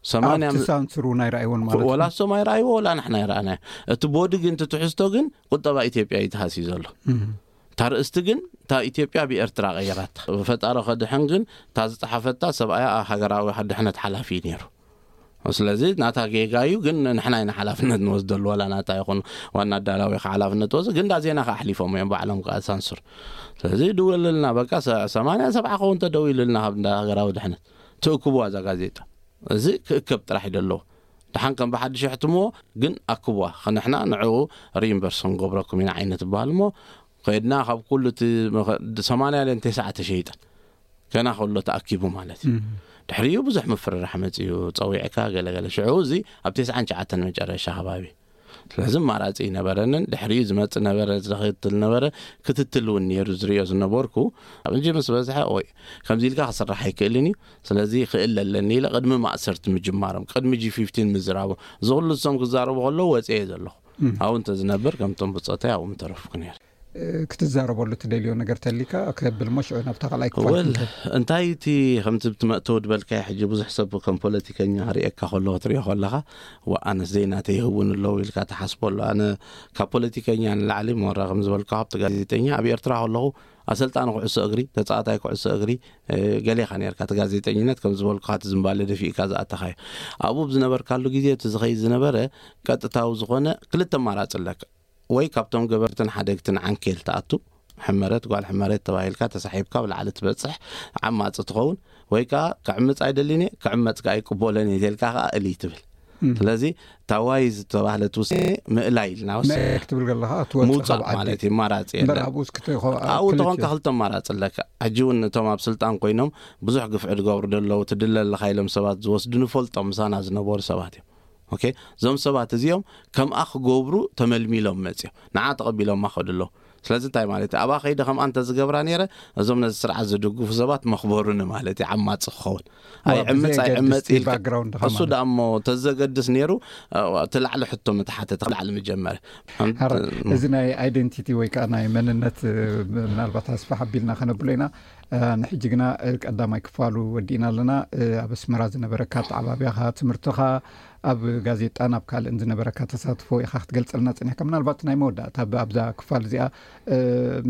ሰማንያ ኣብቲ ሳንሱር እውን ኣይረኣይዎን ማለት እዩ። ወላ እሶም ኣይረኣይዎ ወላ ንሕና ኣይረኣናዮ። እቲ ቦዲ ግን እቲ ትሕዝቶ ግን ቁጠባ ኢትዮጵያ እዩ ተሃስዩ ዘሎ። እታ ርእስቲ ግን እታ ኢትዮጵያ ብኤርትራ ቀይራታ። ፈጣሪ ከድሕን ግን እታ ዝፀሓፈታ ሰብኣያ ሃገራዊ ድሕነት ሓላፊ እዩ ነይሩ። ስለዚ ናታ ጌጋ እዩ ግን ንሕና ኢና ሓላፍነት ንወስደሉ። ዋላ ናታ ይኹን ዋና ኣዳላዊ ሓላፍነት ወስድ ግን እንዳ ዜና ከኣሕሊፎም እዮም ባዕሎም ከኣ ሳንሱር። ስለዚ ድውልልና በቃ ሰማንያ ሰብዓ ከውን ተደዊሉልና ካብ እንዳ ሃገራዊ ድሕነት ትእክብዋ እዛ ጋዜጣ። እዚ ክእከብ ጥራሕ እዩ ዘለዎ። ደሓን ከም ብሓድሽ የሕትምዎ ግን ኣክብዋ ንሕና ንዕኡ ሪኢምበርስ ክንገብረኩም ኢና ዓይነት ይበሃል እሞ ከድና ካብ ኩሉ እቲ ሰማንያ ለን ተስዓ ተሸይጠን ገና ከሎ ተኣኪቡ ማለት እዩ። ድሕሪኡ ብዙሕ ምፍርራሕ መፅኡ ፀዊዕካ ገለገለ ሽዑ እዚ ኣብ ተስዓን ትሽዓተን መጨረሻ ከባቢ ስለዚ ማራፂ ይነበረንን ድሕሪኡ ዝመፅ ነበረ ዝኽትል ነበረ ክትትል እውን ነይሩ ዝሪኦ ዝነበርኩ ኣብ እንጂ ምስ በዝሐ ወይ ከምዚ ኢልካ ክስራሕ ኣይክእልን እዩ። ስለዚ ክእል ኣለኒ ኢለ ቅድሚ ማእሰርቲ ምጅማሮም ቅድሚ ጂ ፊፍቲን ምዝራቦም እዚ ኩሉ እሶም ክዛረቡ ከለዉ ወፅየ ዘለኹ ኣብኡ እንተዝነብር ከምቶም ብፆተይ ኣብኡ ምተረፍኩ ነይረ። ክትዛረበሉ ትደልዮ ነገር ተሊካ ከብል ሞ ሽዑ ናብታ ካልኣይ ክፋል ወል ክንከድ። እንታይ እቲ ከምቲ ብትመእተው ድበልካዮ ሕጂ ብዙሕ ሰብ ከም ፖለቲከኛ ርእየካ ከሎ ክትሪኦ ከለኻ ዋ ኣነስ ዘይናተይ ይህውን ኣለዉ ኢልካ ትሓስቦ ኣሎ። ኣነ ካብ ፖለቲከኛ ንላዕሊ ሞራ ከም ዝበልካ ካብቲ ጋዜጠኛ ኣብ ኤርትራ ከለኹ ኣሰልጣኒ ኩዕሶ እግሪ ተፃዋታይ ኩዕሶ እግሪ ገሌኻ ነርካ እቲ ጋዜጠኝነት ከም ዝበልኩኻ እቲ ዝምባለ ደፊእካ ዝኣተኻዮ ኣብኡ ብዝነበርካሉ ግዜ እቲ ዝኸይድ ዝነበረ ቀጥታዊ ዝኾነ ክልተ ኣማራፂ ኣለካ ወይ ካብቶም ገበርትን ሓደግትን ዓንኬል ትኣቱ ሕመረት ጓል ሕመረት ተባሂልካ ተሳሒብካ ብላዕሊ ትበፅሕ ዓማፂ ትኸውን ወይ ከዓ ክዕምፅ ኣይደልን እየ ክዕመፅ ከዓ ኣይቅበሎን እየ ኢልካ ከዓ እልይ ትብል። ስለዚ ታዋይ ዝተባህለት ውሳኔ ምእላይ ኢልና ወስ ክትብል ከለካ ትወፅእ ምውፃእ ማለት እዩ። ማራፂ የለን። ኣብኡ እስኪ ተይኮ- ኣብኡ ክልተ ተኾንካ እዩ። ክልተ ኣማራፂ ኣለካ። ሕጂ እውን እቶም ኣብ ስልጣን ኮይኖም ብዙሕ ግፍዒ ዝገብሩ ዘለዉ ትድለ ኣለካ ኢሎም ሰባት ዝወስዱ ንፈልጦም ምሳና ዝነበሩ ሰባት እዮም። ኦኬ እዞም ሰባት እዚኦም ከምኣ ክገብሩ ተመልሚሎም መፅዮም ንዓ ተቐቢሎማ ከዱ ኣለዉ። ስለዚ እንታይ ማለት እዩ ኣብኣ ከይደ ከምኣ እንተዝገብራ ነይረ እዞም ነዚ ስርዓት ዝድግፉ ሰባት መኽበሩኒ ማለት እዩ ዓማፂ ክኸውን። ኣይዕምፅ ኣይዕመፅ ኢልካ እሱ ደኣ እሞ ተዘገድስ ነይሩ። እቲ ላዕሊ ሕቶ ምተሓተተ ላዕሊ ምጀመረ። እዚ ናይ ኣይደንቲቲ ወይ ከዓ ናይ መንነት ምናልባት ኣስፋሕ ኣቢልና ከነብሎ ኢና። ንሕጂ ግና ቀዳማይ ክፋሉ ወዲእና ኣለና። ኣብ ኣስመራ ዝነበረካ ኣተዓባብያኻ ትምህርትኻ ኣብ ጋዜጣን ኣብ ካልእን ዝነበረካ ተሳትፎ ኢኻ ክትገልፀልና ፀኒሕካ ምናልባት ናይ መወዳእታ ኣብዛ ክፋል እዚኣ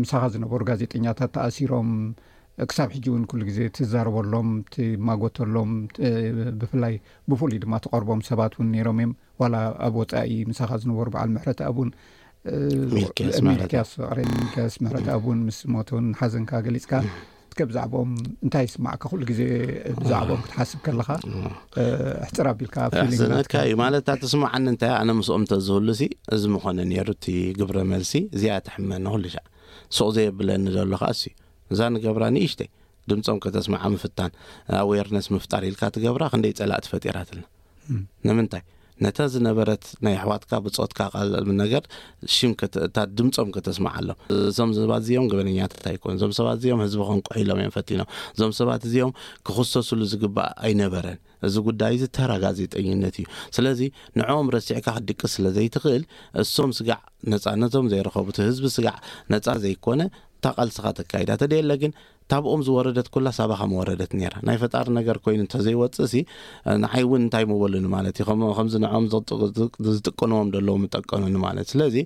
ምሳኻ ዝነበሩ ጋዜጠኛታት ተኣሲሮም ክሳብ ሕጂ እውን ኩሉ ግዜ ትዛረበሎም ትማጎተሎም ብፍላይ ብፍሉይ ድማ ትቐርቦም ሰባት እውን ነይሮም እዮም ዋላ ኣብ ወፃኢ ምሳኻ ዝነበሩ በዓል ምሕረት ኣብን ሚልክያስ ምሕረት ኣብን ምስ ሞተውን ሓዘንካ ገሊፅካ እስከ ብዛዕባኦም እንታይ ይስማዕካ ኩሉ ግዜ ብዛዕባኦም ክትሓስብ ከለኻ ሕፅር ኣቢልካ ሕዘነካ እዩ ማለት እታ ትስማዓኒ እንታይ ኣነ ምስኦም ተዝህሉ ሲ እዚ ምኾነ ነይሩ እቲ ግብረ መልሲ እዚኣ ትሕመኒ ኩሉ ሻዕ ሱቕ ዘየብለኒ ዘሎ ከዓ እሱ እዛ ንገብራ ንእሽተይ ድምፆም ከተስምዓ ምፍታን ኣዌርነስ ምፍጣር ኢልካ ትገብራ ክንደይ ፀላእቲ ፈጢራትልና ንምንታይ ነታ ዝነበረት ናይ ኣሕዋትካ ብፆትካ ቃል ነገር ሽም እታ ድምፆም ከተስምዓሎም እዞም ሰባት እዚኦም ገበነኛታት ኣይኮኑ እዞም ሰባት እዚኦም ህዝቢ ከንቁሑ ኢሎም እዮም ፈቲኖም እዞም ሰባት እዚኦም ክኽሰሱሉ ዝግባእ ኣይነበረን እዚ ጉዳይ እዚ ተራ ጋዜጠኝነት እዩ ስለዚ ንዕኦም ረሲዕካ ክትድቅስ ስለ ዘይትኽእል እሶም ስጋዕ ነፃነቶም ዘይረኸቡ እቲ ህዝቢ ስጋዕ ነፃ ዘይኮነ እታ ቃልስኻ ተካይዳ ተደየለ ግን ታብኦም ዝወረደት ኩላ ሳባኻ ምወረደት ነይራ ናይ ፈጣሪ ነገር ኮይኑ እንተዘይወፅእ ሲ ንዓይ እውን እንታይ ምበሉኒ ማለት እዩ ከም- ከምዚ ንዕኦም ዘጥ- ዝጥቀንዎም ዘለዉ ምጠቀኑኒ ማለት ስለዚ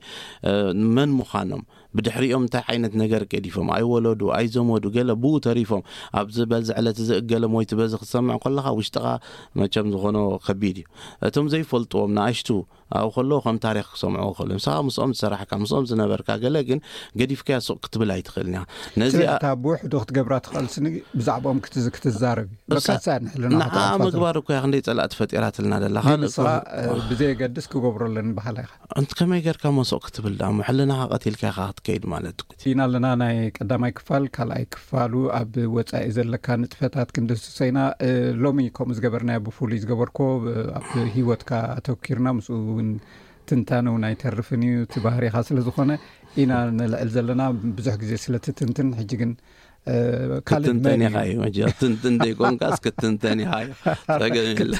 መን ምዃኖም ብድሕሪኦም እንታይ ዓይነት ነገር ገዲፎም ኣይወለዱ ኣይዘመዱ ገለ ብኡ ተሪፎም ኣብዚ በዚ ዕለት እዚ እገለ ሞይቱ በዚ ክትሰምዕ ከለኻ ውሽጥኻ መቸም ዝኾኖ ከቢድ እዩ እቶም ዘይፈልጥዎም ንኣሽቱ ኣብኡ ከለዉ ከም ታሪኽ ክሰምዑ ክኽእሉ፣ ንስኻ ምስኦም ዝሰራሕካ፣ ምስኦም ዝነበርካ፣ ገለ ግን ገዲፍካያ ሱቕ ክትብል ኣይትኽእልን ኢኻ። ነዚኣ ስለዚ እታ ብውሕዱ ክትገብራ ትኽእል ስኒ ብዛዕባኦም ክትዝ-፣ ክትዛረብ እዩ። በቃ እሳ ንሕልና ንዓ ክትኣልፋ ምግባር እኮ እያ ክንደይ ጸላእቲ ፈጢራትልና ደላ። ግን ካልእ ንስኻ፣ እኮ እ፣ ብዘየገድስ ክገብሮ ኣለኒ በሃላ ኢኻ። እንት ከመይ ጌርካ እሞ ሱቕ ክትብል ደኣ? እሞ ሕልናኻ ቀቲልካ ኢኻ ክትከይድ ማለት እኮ። ኢና ኣለና ናይ ቀዳማይ ክፋል፣ ካልኣይ ክፋሉ ኣብ ወጻኢ ዘለካ ንጥፈታት ክንድስሶ ኢና። እ፣ ሎሚ ከምኡ ዝገበርናዮ ብፍሉይ ዝገበርኮ፣ እ፣ ኣብ ህይወትካ ኣተኪርና ምስኡ እውን ትንታነ እውን ኣይተርፍን እዩ፣ እቲ ባህሪኻ ስለ ዝኾነ ኢና ነልዕል ዘለና። ብዙሕ ግዜ ስለ ትትንትን፣ ሕጂ ግን፣ እ፣ ካልእ ክትንተን መን ኢኻ እዩ? እዩ፣ መቸም ትንትን ዘይኮንካስ ክትንተን ኢኻ እዩ። ጸገም የለ።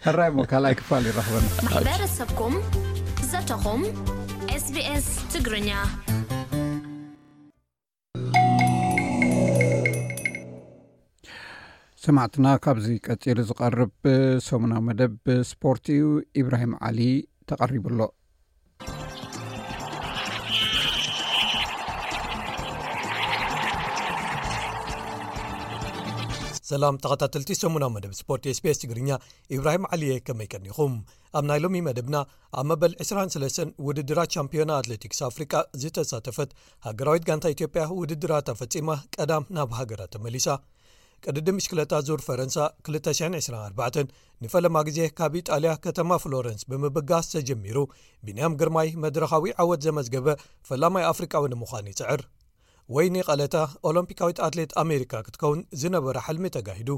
ሕራይ እሞ ካልኣይ ክፋል ይራኽበና። ማሕበረሰብኩም፣ ዘተኹም፣ ኤስ ቢ ኤስ ትግርኛ። ሰማዕትና፣ ካብዚ ቀጺሉ ዝቐርብ ሰሙናዊ መደብ ስፖርት እዩ። ኢብራሂም ዓሊ ተቐሪቡ ኣሎ። ሰላም ተኸታተልቲ ሰሙናዊ መደብ ስፖርት ኤስ ቢ ኤስ ትግርኛ፣ ኢብራሂም ዓሊ እየ። ከመይ ቀኒኹም? ኣብ ናይ ሎሚ መደብና፣ ኣብ መበል ዕስራን ሰለስተን ውድድራት ቻምፒዮና ኣትሌቲክስ ኣፍሪቃ ዝተሳተፈት ሃገራዊት ጋንታ ኢትዮጵያ ውድድራታ ፈጺማ ቀዳም ናብ ሃገራ ተመሊሳ። ቅድድም ብሽክለታ ዙር ፈረንሳ ክልተ ሽሕን ዕስራን ኣርባዕተን ንፈለማ ግዜ ካብ ኢጣልያ ከተማ ፍሎረንስ ብምብጋስ ተጀሚሩ፣ ቢንያም ግርማይ መድረኻዊ ዓወት ዘመዝገበ ፈላማይ ኣፍሪቃዊ ንምዃን ይጽዕር። ወይኒ ቀለታ ኦሎምፒካዊት ኣትሌት ኣሜሪካ ክትከውን ዝነበራ ሕልሚ ተጋሂዱ።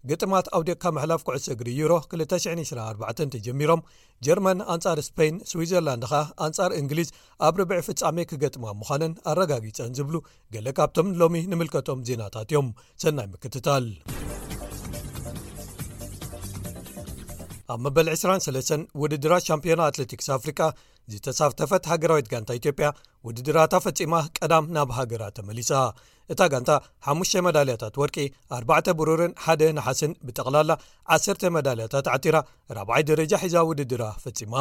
ግጥማት ኣውዲቕካ ምሕላፍ ኩዕሶ እግሪ ዩሮ ክልተ ሽሕን ዕስራን ኣርባዕተን ተጀሚሮም፣ ጀርመን ኣንጻር ስፔን፣ ስዊዘርላንድ ኸኣ ኣንጻር እንግሊዝ ኣብ ርብዒ ፍጻሜ ክገጥማ ምዃነን ኣረጋጊጸን ዝብሉ ገለ ካብቶም ሎሚ ንምልከቶም ዜናታት እዮም። ሰናይ ምክትታል። ኣብ መበል ዕስራን ሰለስተን ውድድራት ሻምፒዮና ኣትሌቲክስ ኣፍሪቃ ዝተሳተፈት ሃገራዊት ጋንታ ኢትዮጵያ ውድድራታ ፈጺማ ቀዳም ናብ ሃገራ ተመሊሳ። እታ ጋንታ ሓሙሽተ መዳልያታት ወርቂ፣ ኣርባዕተ ብሩርን ሓደ ነሓስን፣ ብጠቕላላ ዓሰርተ መዳልያታት ዓቲራ ራብዓይ ደረጃ ሒዛ ውድድራ ፈጺማ።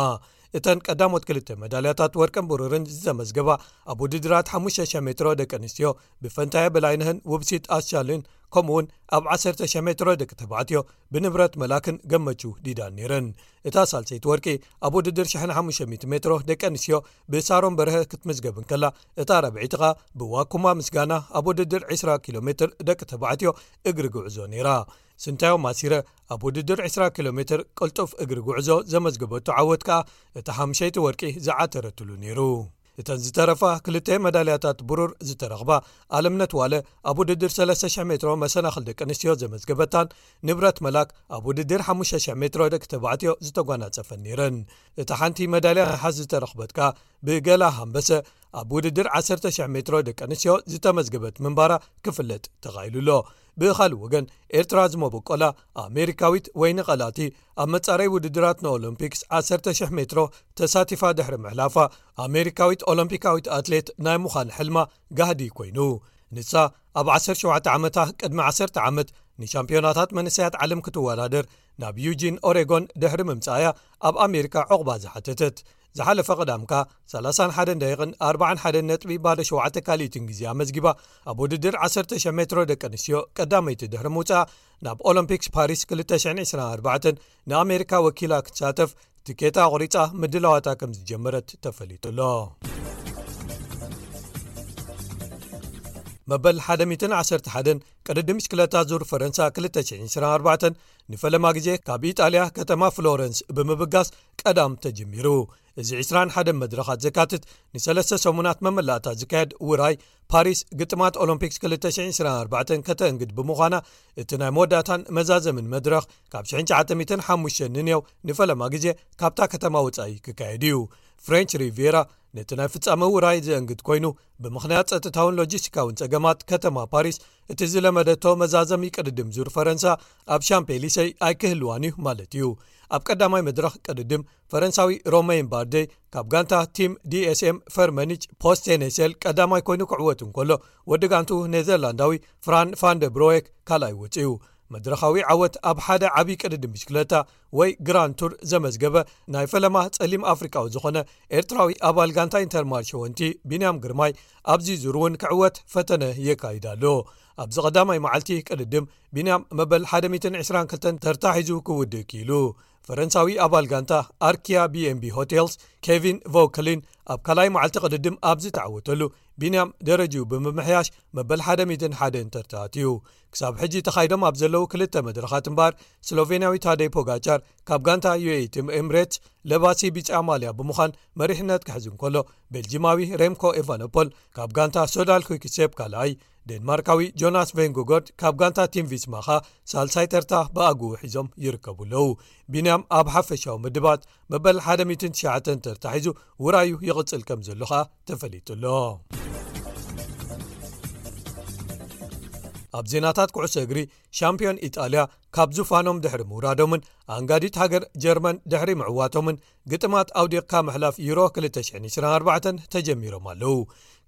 እተን ቀዳሞት ክልተ መዳልያታት ወርቅን ብሩርን ዝተመዝገባ ኣብ ውድድራት ሓሙሽተ ሽሕ ሜትሮ ደቂ ኣንስትዮ ብፈንታየ በላይነህን ውብሲት ኣስቻልን፣ ከምኡውን ኣብ ዓሰርተ ሽሕ ሜትሮ ደቂ ተባዕትዮ ብንብረት መላክን ገመቹ ዲዳን ነይረን። እታ ሳልሰይቲ ወርቂ ኣብ ውድድር ሽሕን ሓሙሽተ ሚእቲ ሜትሮ ደቂ ኣንስትዮ ብሳሮን በርሀ ክትምዝገብ እንከላ፣ እታ ራብዐይቲ ኸኣ ብዋኩማ ምስጋና ኣብ ውድድር ዕስራ ኪሎ ሜትር ደቂ ተባዕትዮ እግሪ ጉዕዞ ነይራ። ስንታዮ ማሲረ ኣብ ውድድር ዕስራ ኪሎ ሜትር ቅልጡፍ እግሪ ጉዕዞ ዘመዝገበቶ ዓወት ከኣ እታ ሓሙሸይቲ ወርቂ ዝዓተረትሉ ነይሩ። እተን ዝተረፋ ክልተ መዳልያታት ብሩር ዝተረኽባ ኣለምነት ዋለ ኣብ ውድድር ሰለስተ ሽሕ ሜትሮ መሰናኽል ደቂ ኣንስትዮ ዘመዝገበታን ንብረት መላክ ኣብ ውድድር ሓሙሽተ ሽሕ ሜትሮ ደቂ ተባዕትዮ ዝተጓናጸፈን ነይረን። እታ ሓንቲ መዳልያ ነሓስ ዝተረኽበት ከኣ ብገላ ሃምበሰ ኣብ ውድድር ዓሰርተ ሽሕ ሜትሮ ደቂ ኣንስትዮ ዝተመዝገበት ምንባራ ክፍለጥ ተኻኢሉ ኣሎ። ብኻልእ ወገን፣ ኤርትራ ዝመበቆላ ኣሜሪካዊት ወይኒ ቀላቲ ኣብ መጻረይ ውድድራት ንኦሎምፒክስ ዓሰርተ ሽሕ ሜትሮ ተሳቲፋ ድሕሪ ምሕላፋ፣ ኣሜሪካዊት ኦሎምፒካዊት ኣትሌት ናይ ምዃን ሕልማ ጋህዲ ኮይኑ። ንሳ ኣብ ዓሰርተ ሸውዓተ ዓመታ ቅድሚ ዓሰርተ ዓመት ንሻምፒዮናታት መንእሰያት ዓለም ክትወዳደር ናብ ዩጂን ኦሬጎን ድሕሪ ምምጻእያ ኣብ ኣሜሪካ ዕቑባ ዝሓተተት። ዝሓለፈ ቀዳምካ ሰላሳን ሓደን ደቂቕን ኣርባዓን ሓደን ነጥቢ ባዶ ሸውዓተ ካልኢትን ግዜ ኣመዝጊባ፣ ኣብ ውድድር ዓሰርተ ሽሕ ሜትሮ ደቂ ኣንስትዮ ቀዳመይቲ ድሕሪ ምውጻኣ፣ ናብ ኦሎምፒክስ ፓሪስ ክልተ ሽሕን ዕስራን ኣርባዕተን ንኣሜሪካ ወኪላ ክትሳተፍ ትኬታ ኣቑሪጻ ምድላዋታ ከም ዝጀመረት ተፈሊጡ ኣሎ። መበል ሓደ ሚእትን ዓሰርተ ሓደን ቅድድም ብሽክለታ ዙር ፈረንሳ ክልተ ሽሕን ዕስራን ኣርባዕተን ንፈለማ ግዜ ካብ ኢጣልያ ከተማ ፍሎረንስ ብምብጋስ ቀዳም ተጀሚሩ። እዚ ዕስራን ሓደን መድረኻት ዘካትት ንሰለስተ ሰሙናት መመላእታ ዝካየድ ውራይ ፓሪስ ግጥማት ኦሎምፒክስ ክልተ ሽሕን ዕስራን ኣርባዕተን ከተእንግድ ብምዃና፣ እቲ ናይ መወዳእታን መዛዘምን መድረኽ ካብ ሽሕን ትሽዓተ ሚእትን ሓሙሽተን ንንየው ንፈለማ ግዜ ካብታ ከተማ ወጻኢ ክካየድ እዩ። ፍሬንች ሪቪራ ነቲ ናይ ፍጻመ ውራይ ዘእንግድ ኮይኑ፣ ብምኽንያት ጸጥታውን ሎጂስቲካውን ጸገማት ከተማ ፓሪስ እቲ ዝለመደቶ መዛዘሚ ቅድድም ዙር ፈረንሳ ኣብ ሻምፔሊሰይ ኣይክህልዋን እዩ ማለት እዩ። ኣብ ቀዳማይ መድረኽ ቅድድም ፈረንሳዊ ሮሜን ባርዴ ካብ ጋንታ ቲም ዲ ኤስ ኤም ፈርመኒች ፖስቴኔሴል ቀዳማይ ኮይኑ ክዕወት እንከሎ፣ ወዲ ጋንቱ ኔዘርላንዳዊ ፍራን ፋን ደ ብሮየክ ካልኣይ ወጺኡ። መድረኻዊ ዓወት ኣብ ሓደ ዓቢ ቅድድም ብሽክለታ ወይ ግራንድ ቱር ዘመዝገበ ናይ ፈለማ ጸሊም ኣፍሪቃዊ ዝኾነ ኤርትራዊ ኣባል ጋንታ ኢንተርማርሽ ወንቲ ቢንያም ግርማይ ኣብዚ ዙር እውን ክዕወት ፈተነ የካይድ ኣሎ። ኣብዚ ቀዳማይ መዓልቲ ቅድድም ቢንያም መበል ሓደ ሚእትን ዕስራን ክልተን ተርታ ሒዙ ክውድእ ክኢሉ። ፈረንሳዊ ኣባል ጋንታ ኣርኪያ ቢኤንቢ ሆቴልስ ኬቪን ቮክሊን ኣብ ካልኣይ መዓልቲ ቅድድም ኣብ ዝተዓወተሉ፣ ቢንያም ደረጅኡ ብምምሕያሽ መበል ሓደ ሚእትን ሓደን ተርታ ኣትዩ። ክሳብ ሕጂ ተኻይዶም ኣብ ዘለዉ ክልተ መድረኻት እምበኣር፣ ስሎቬንያዊ ታደይ ፖጋቻር ካብ ጋንታ ዩኤኢ ቲም ኤምሬትስ ለባሲ ቢጫ ማልያ ብምዃን መሪሕነት ክሕዝ እንከሎ፣ ቤልጂማዊ ሬምኮ ኤቫኖፖል ካብ ጋንታ ሶዳል ኩክሴፕ ካልኣይ፣ ዴንማርካዊ ጆናስ ቬንጎጎርድ ካብ ጋንታ ቲም ቪስማ ኸኣ ሳልሳይ ተርታ ብኣግኡ ሒዞም ይርከቡ ኣለዉ። ቢንያም ኣብ ሓፈሻዊ ምድባት መበል ሓደ ሚእትን ትሽዓተን ተርታ ሒዙ ውራዩ ይቕጽል ከም ዘሎ ኸኣ ተፈሊጡ ኣሎ። ኣብ ዜናታት ኩዕሶ እግሪ፣ ሻምፒዮን ኢጣልያ ካብ ዙፋኖም ድሕሪ ምውራዶምን ኣንጋዲት ሃገር ጀርመን ድሕሪ ምዕዋቶምን፣ ግጥማት ኣውዲቕካ ምሕላፍ ዩሮ ክልተ ሽሕን ዕስራን ኣርባዕተን ተጀሚሮም ኣለዉ።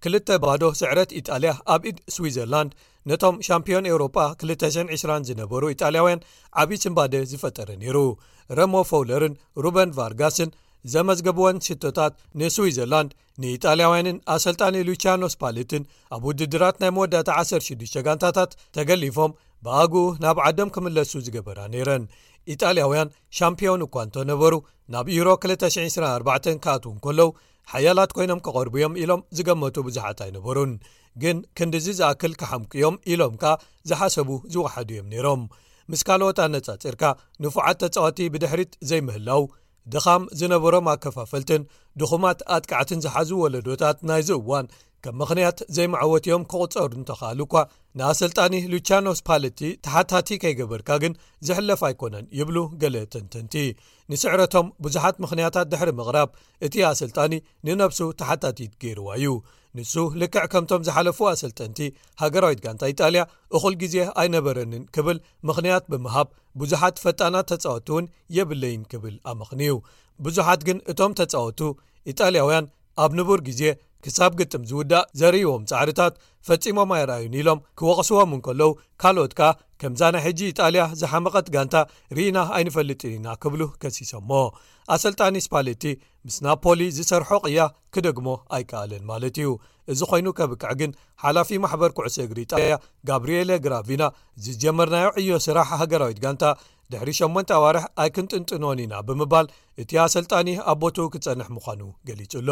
ክልተ ባዶ ስዕረት ኢጣልያ ኣብ ኢድ ስዊዘርላንድ ነቶም ሻምፒዮን ኤውሮጳ ክልተ ሽሕን ዕስራን ዝነበሩ ኢጣልያውያን ዓቢ ስንባደ ዝፈጠረ ነይሩ። ረሞ ፎውለርን ሩበን ቫርጋስን ዘመዝገብወን ሽቶታት ንስዊዘርላንድ፣ ንኢጣልያውያንን ኣሰልጣኒ ሉቺያኖ ስፓሌትን ኣብ ውድድራት ናይ መወዳእታ ዓሰርተ ሽዱሽተ ጋንታታት ተገሊፎም ብኣግኡ ናብ ዓዶም ክምለሱ ዝገበራ ነይረን። ኢጣልያውያን ሻምፒዮን እኳ እንተነበሩ፣ ናብ ዩሮ ክልተ ሽሕን ዕስራን ኣርባዕተን ክኣትዉ እንከለዉ ሓያላት ኮይኖም ክቐርቡ እዮም ኢሎም ዝገመቱ ብዙሓት ኣይነበሩን። ግን ክንድዚ ዝኣክል ክሓምቁ እዮም ኢሎም ከኣ ዝሓሰቡ ዝወሓዱ እዮም ነይሮም። ምስ ካልኦት ኣነጻጺርካ፣ ንፉዓት ተጻወቲ ብድሕሪት ዘይምህላው፣ ድኻም ዝነበሮም ኣከፋፈልትን ድኹማት ኣጥቃዕትን ዝሓዙ ወለዶታት ናይዚ እዋን ከም ምኽንያት ዘይመዕወቲ እዮም ክቑጸሩ እንተኽኣሉ እኳ፣ ንኣሰልጣኒ ሉቻኖ ስፓለቲ ተሓታቲ ከይገበርካ ግን ዝሕለፍ ኣይኮነን ይብሉ ገለ ተንተንቲ። ንስዕረቶም ብዙሓት ምኽንያታት ድሕሪ ምቕራብ፣ እቲ ኣሰልጣኒ ንነብሱ ተሓታቲት ገይርዋ እዩ። ንሱ ልክዕ ከምቶም ዝሓለፉ ኣሰልጠንቲ ሃገራዊት ጋንታ ኢጣልያ እኹል ግዜ ኣይነበረንን ክብል ምኽንያት ብምሃብ፣ ብዙሓት ፈጣናት ተጻወትቲ እውን የብለይን ክብል ኣመኽንዩ። ብዙሓት ግን እቶም ተጻወቱ ኢጣልያውያን ኣብ ንቡር ግዜ ክሳብ ግጥም ዝውዳእ ዘርእዎም ጻዕርታት ፈጺሞም ኣይረኣዩን ኢሎም ክወቕስዎም እንከለዉ፣ ካልኦት ከኣ ከምዛ ናይ ሕጂ ኢጣልያ ዝሓመቐት ጋንታ ርኢና ኣይንፈልጥን ኢና ክብሉ ከሲሶሞ። ኣሰልጣኒ ስፓሌቲ ምስ ናፖሊ ዝሰርሖ ቅያ ክደግሞ ኣይከኣለን ማለት እዩ። እዚ ኮይኑ ከብቅዕ ግን ሓላፊ ማሕበር ኩዕሶ እግሪ ኢጣልያ ጋብሪኤለ ግራቪና፣ ዝጀመርናዮ ዕዮ ስራሕ ሃገራዊት ጋንታ ድሕሪ ሸሞንተ ኣዋርሕ ኣይክንጥንጥኖን ኢና ብምባል፣ እቲ ኣሰልጣኒ ኣብ ቦትኡ ክጸንሕ ምዃኑ ገሊጹ ኣሎ።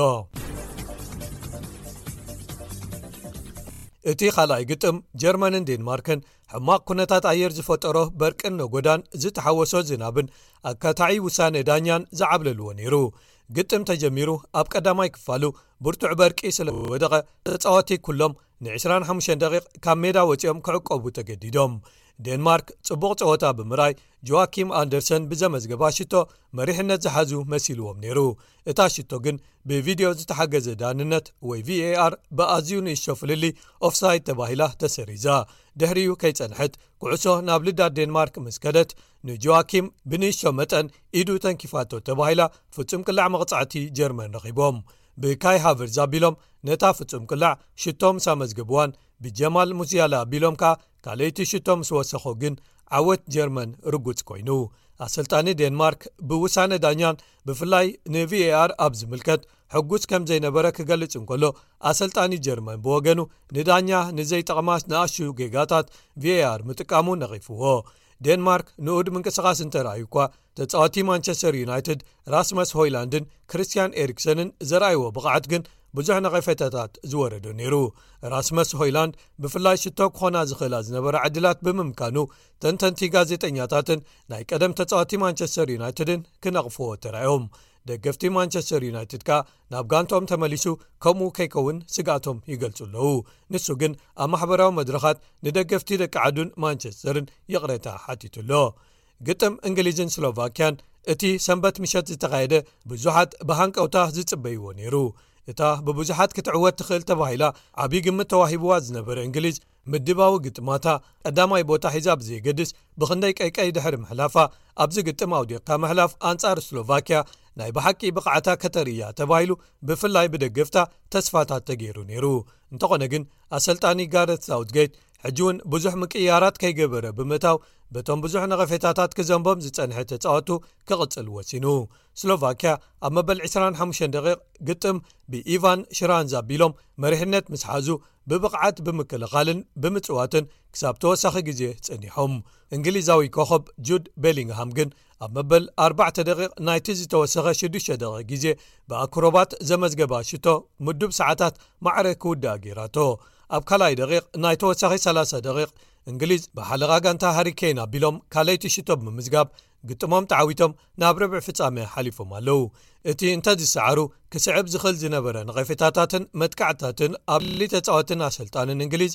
እቲ ካልኣይ ግጥም ጀርመንን ዴንማርክን ሕማቕ ኩነታት ኣየር ዝፈጠሮ በርቅን ነጎዳን ዝተሓወሶ ዝናብን ኣካታዒ ውሳነ ዳኛን ዝዓብለልዎ ነይሩ። ግጥም ተጀሚሩ ኣብ ቀዳማይ ክፋሉ ብርቱዕ በርቂ ስለ ወደቐ፣ ተጻወቲ ኩሎም ንዕስራን ሓሙሽተን ደቂቕ ካብ ሜዳ ወጺኦም ክዕቆቡ ተገዲዶም። ዴንማርክ ጽቡቕ ጸወታ ብምርኣይ፣ ጆዋኪም ኣንደርሰን ብዘመዝገባ ሽቶ መሪሕነት ዝሓዙ መሲልዎም ነይሩ። እታ ሽቶ ግን ብቪድዮ ዝተሓገዘ ዳንነት ወይ ቪኤኣር ብኣዝዩ ንእሽቶ ፍልልይ ኦፍሳይድ ተባሂላ ተሰሪዛ። ድሕሪኡ ከይጸንሐት፣ ኩዕሶ ናብ ልዳት ዴንማርክ ምስ ከደት፣ ንጆዋኪም ብንእሽቶ መጠን ኢዱ ተንኪፋቶ ተባሂላ ፍጹም ቅላዕ መቕጻዕቲ ጀርመን ረኺቦም። ብካይ ሃቨርዝ ኣቢሎም ነታ ፍጹም ቅላዕ ሽቶ ምስ ኣመዝገብዋን፣ ብጀማል ሙሲያላ ኣቢሎም ከኣ ካልኣይቲ ሽቶ ምስ ወሰኾ ግን ዓወት ጀርመን ርጉጽ ኮይኑ። ኣሰልጣኒ ዴንማርክ ብውሳነ ዳኛን ብፍላይ ንቪኤኣር ኣብ ዝምልከት ሕጉስ ከም ዘይነበረ ክገልጽ እንከሎ፣ ኣሰልጣኒ ጀርመን ብወገኑ ንዳኛ ንዘይጠቕማ ንኣሽቱ ጌጋታት ቪኤኣር ምጥቃሙ ነቒፍዎ። ዴንማርክ ንኡድ ምንቅስቓስ እንተረኣዩ እኳ፣ ተጻወቲ ማንቸስተር ዩናይትድ ራስመስ ሆይላንድን ክርስቲያን ኤሪክሰንን ዘርኣይዎ ብቕዓት ግን ብዙሕ ነቐፌታታት ዝወረዶ ነይሩ። ራስመስ ሆይላንድ ብፍላይ ሽቶ ክኾና ዝኽእላ ዝነበራ ዕድላት ብምምካኑ፣ ተንተንቲ፣ ጋዜጠኛታትን ናይ ቀደም ተጻወቲ ማንቸስተር ዩናይትድን ክነቕፍዎ ተራዮም። ደገፍቲ ማንቸስተር ዩናይትድ ከኣ ናብ ጋንትኦም ተመሊሱ ከምኡ ከይከውን ስግኣቶም ይገልጹ ኣለዉ። ንሱ ግን ኣብ ማሕበራዊ መድረኻት ንደገፍቲ ደቂ ዓዱን ማንቸስተርን ይቕሬታ ሓቲቱ ኣሎ። ግጥም እንግሊዝን ስሎቫክያን እቲ ሰንበት ምሸት ዝተኻየደ ብዙሓት ብሃንቀውታ ዝጽበይዎ ነይሩ። እታ ብብዙሓት ክትዕወት ትኽእል ተባሂላ ዓቢ ግምት ተዋሂብዋ ዝነበረ እንግሊዝ፣ ምድባዊ ግጥማታ ቀዳማይ ቦታ ሒዛ ብዘየገድስ፣ ብኽንደይ ቀይቀይ ድሕሪ ምሕላፋ፣ ኣብዚ ግጥም ኣውዲቕካ ምሕላፍ ኣንጻር ስሎቫክያ ናይ ብሓቂ ብቕዓታ ከተርእያ ተባሂሉ ብፍላይ ብደገፍታ ተስፋታት ተገይሩ ነይሩ። እንተኾነ ግን፣ ኣሰልጣኒ ጋረት ሳውትጌት ሕጂ እውን ብዙሕ ምቅይያራት ከይገበረ ብምእታው፣ በቶም ብዙሕ ነቐፌታታት ክዘንቦም ዝጸንሐ ተጻወቱ ክቕጽል ወሲኑ። ስሎቫክያ ኣብ መበል ዕስራን ሓሙሽተን ደቂቕ ግጥም ብኢቫን ሽራንዝ ኣቢሎም መሪሕነት ምስ ሓዙ፣ ብብቕዓት ብምክልኻልን ብምጽዋትን ክሳብ ተወሳኺ ግዜ ጸኒሖም። እንግሊዛዊ ኮኸብ ጁድ ቤሊንግሃም ግን ኣብ መበል ኣርባዕተ ደቂቕ ናይቲ ዝተወሰኸ ሽዱሽተ ደቂቕ ግዜ ብኣክሮባት ዘመዝገባ ሽቶ ምዱብ ሰዓታት ማዕረ ክውድኣ ገይራቶ። ኣብ ካልኣይ ደቂቕ ናይ ተወሳኺ ሰላሳ ደቂቕ እንግሊዝ ብሓለቓ ጋንታ ሃሪ ኬን ኣቢሎም ካልኣይቲ ሽቶ ብምምዝጋብ ግጥሞም ተዓዊቶም ናብ ርብዒ ፍጻመ ሓሊፎም ኣለዉ። እቲ እንተዝሰዓሩ ክስዕብ ዝኽእል ዝነበረ ነቐፌታታትን መጥቃዕትታትን ኣብ ልዕሊ ተጻወትን ኣሰልጣንን እንግሊዝ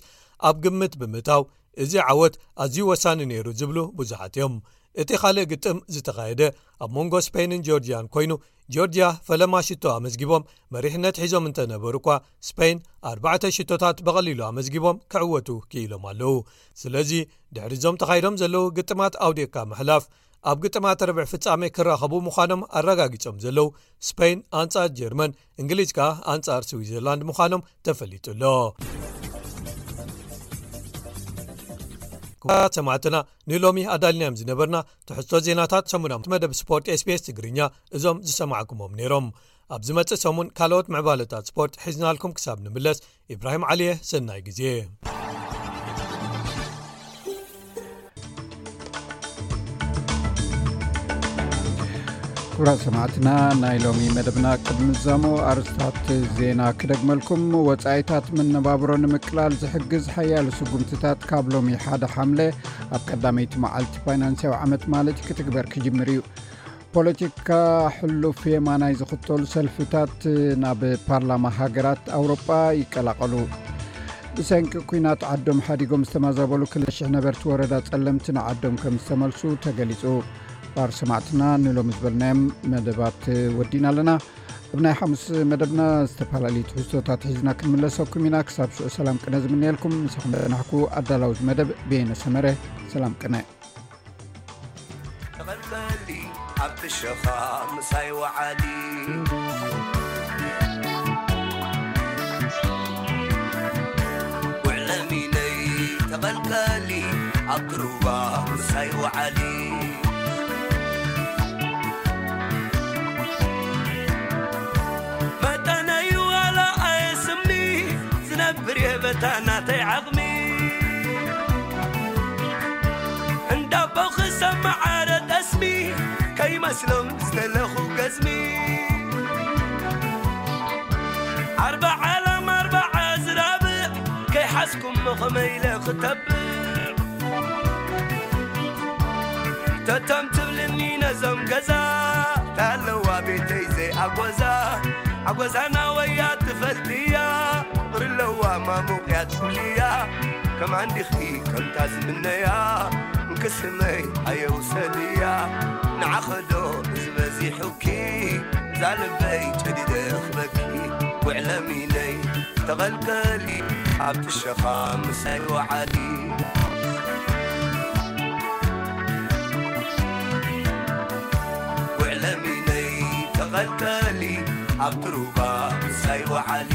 ኣብ ግምት ብምእታው፣ እዚ ዓወት ኣዝዩ ወሳኒ ነይሩ ዝብሉ ብዙሓት እዮም። እቲ ካልእ ግጥም ዝተኻየደ ኣብ መንጎ ስፔንን ጆርጅያን ኮይኑ፣ ጆርጅያ ፈለማ ሽቶ ኣመዝጊቦም መሪሕነት ሒዞም እንተነበሩ እኳ፣ ስፔን ኣርባዕተ ሽቶታት ብቐሊሉ ኣመዝጊቦም ክዕወቱ ክኢሎም ኣለዉ። ስለዚ ድሕሪ እዞም ተኻይዶም ዘለዉ ግጥማት ኣውዲቕካ ምሕላፍ፣ ኣብ ግጥማት ርብዒ ፍጻሜ ክራኸቡ ምዃኖም ኣረጋጊጾም ዘለዉ ስፔን ኣንጻር ጀርመን፣ እንግሊዝ ከኣ ኣንጻር ስዊዘርላንድ ምዃኖም ተፈሊጡ ኣሎ። ክቡራት ሰማዕትና፣ ንሎሚ ኣዳልናዮም ዝነበርና ትሕዝቶ ዜናታት ሰሙናዊ መደብ ስፖርት ኤስቢኤስ ትግርኛ እዞም ዝሰማዕኩሞም ነይሮም። ኣብ ዝመጽእ ሰሙን ካልኦት ምዕባለታት ስፖርት ሒዝናልኩም ክሳብ ንምለስ፣ ኢብራሂም ዓሊየ፣ ሰናይ ግዜ። ክቡራት ሰማዕትና፣ ናይ ሎሚ መደብና ቅድሚ ምዛሙ ኣርእስታት ዜና ክደግመልኩም። ወጻኢታት መነባብሮ ንምቅላል ዝሕግዝ ሓያሎ ስጉምትታት ካብ ሎሚ ሓደ ሓምለ ኣብ ቀዳመይቲ መዓልቲ ፋይናንስያዊ ዓመት ማለት ክትግበር ክጅምር እዩ። ፖለቲካ ሕሉፍ የማናይ ዝኽተሉ ሰልፍታት ናብ ፓርላማ ሃገራት ኣውሮጳ ይቀላቐሉ። ብሰንኪ ኲናት ዓዶም ሓዲጎም ዝተመዛበሉ ክልተ ሽሕ ነበርቲ ወረዳ ጸለምቲ ንዓዶም ከም ዝተመልሱ ተገሊጹ። ክቡራት ሰማዕትና፣ ንሎሚ ዝበልናዮም መደባት ወዲና ኣለና። ኣብ ናይ ሓሙስ መደብና ዝተፈላለዩ ትሕዝቶታት ሒዝና ክንምለሰኩም ኢና። ክሳብ ሽዑ ሰላም ቅነ ዝምነየልኩም። ምሳኹም ዝጸናሕኩ ኣዳላዊ መደብ በየነ ሰመረ። ሰላም ቅነ። ተቐልቀሊ ኣብቲ ሸኻ ምሳይ ወዓሊ። ውዕለሚነይ ተቐልቀሊ ኣብቲ ሩባ ምሳይ ወዓሊ። መጠነይ ዋላ ኣየስሚ ዝነብር የበታ ናተይ ዓቕሚ። እንዳቦ ክሰማዓረ ጠስሚ ከይመስሎም ዝተለኹ ገዝሚ። ኣርባዓ ላም ኣርባዓ ዝራብዕ ከይሓዝኩም ከመይ ኢለ ክተብዕ። ተቶም ትብልኒ ነዞም ገዛ ታለዋ ቤተይ ዘይኣጎዛ። ኣጎዛና ወያ ትፈልጥያ ፍቕሪ ኣለዋ ማሙቕያ ትብልያ። ከማን ዲኺ ከምታ ዝምነያ እንክስመይ ኣየውሰድያ። ንዓኸዶ እዚ በዚሑኪ እዛ ልበይ ጨዲደ ክበኪ። ውዕለሚነይ ተቐልቀሊ ኣብቲ ሸኻ ምሳይ ወዓሊ። ውዕለሚነይ ተቐልቀሊ ኣብቲ ሩባ ምሳይ ወዓሊ።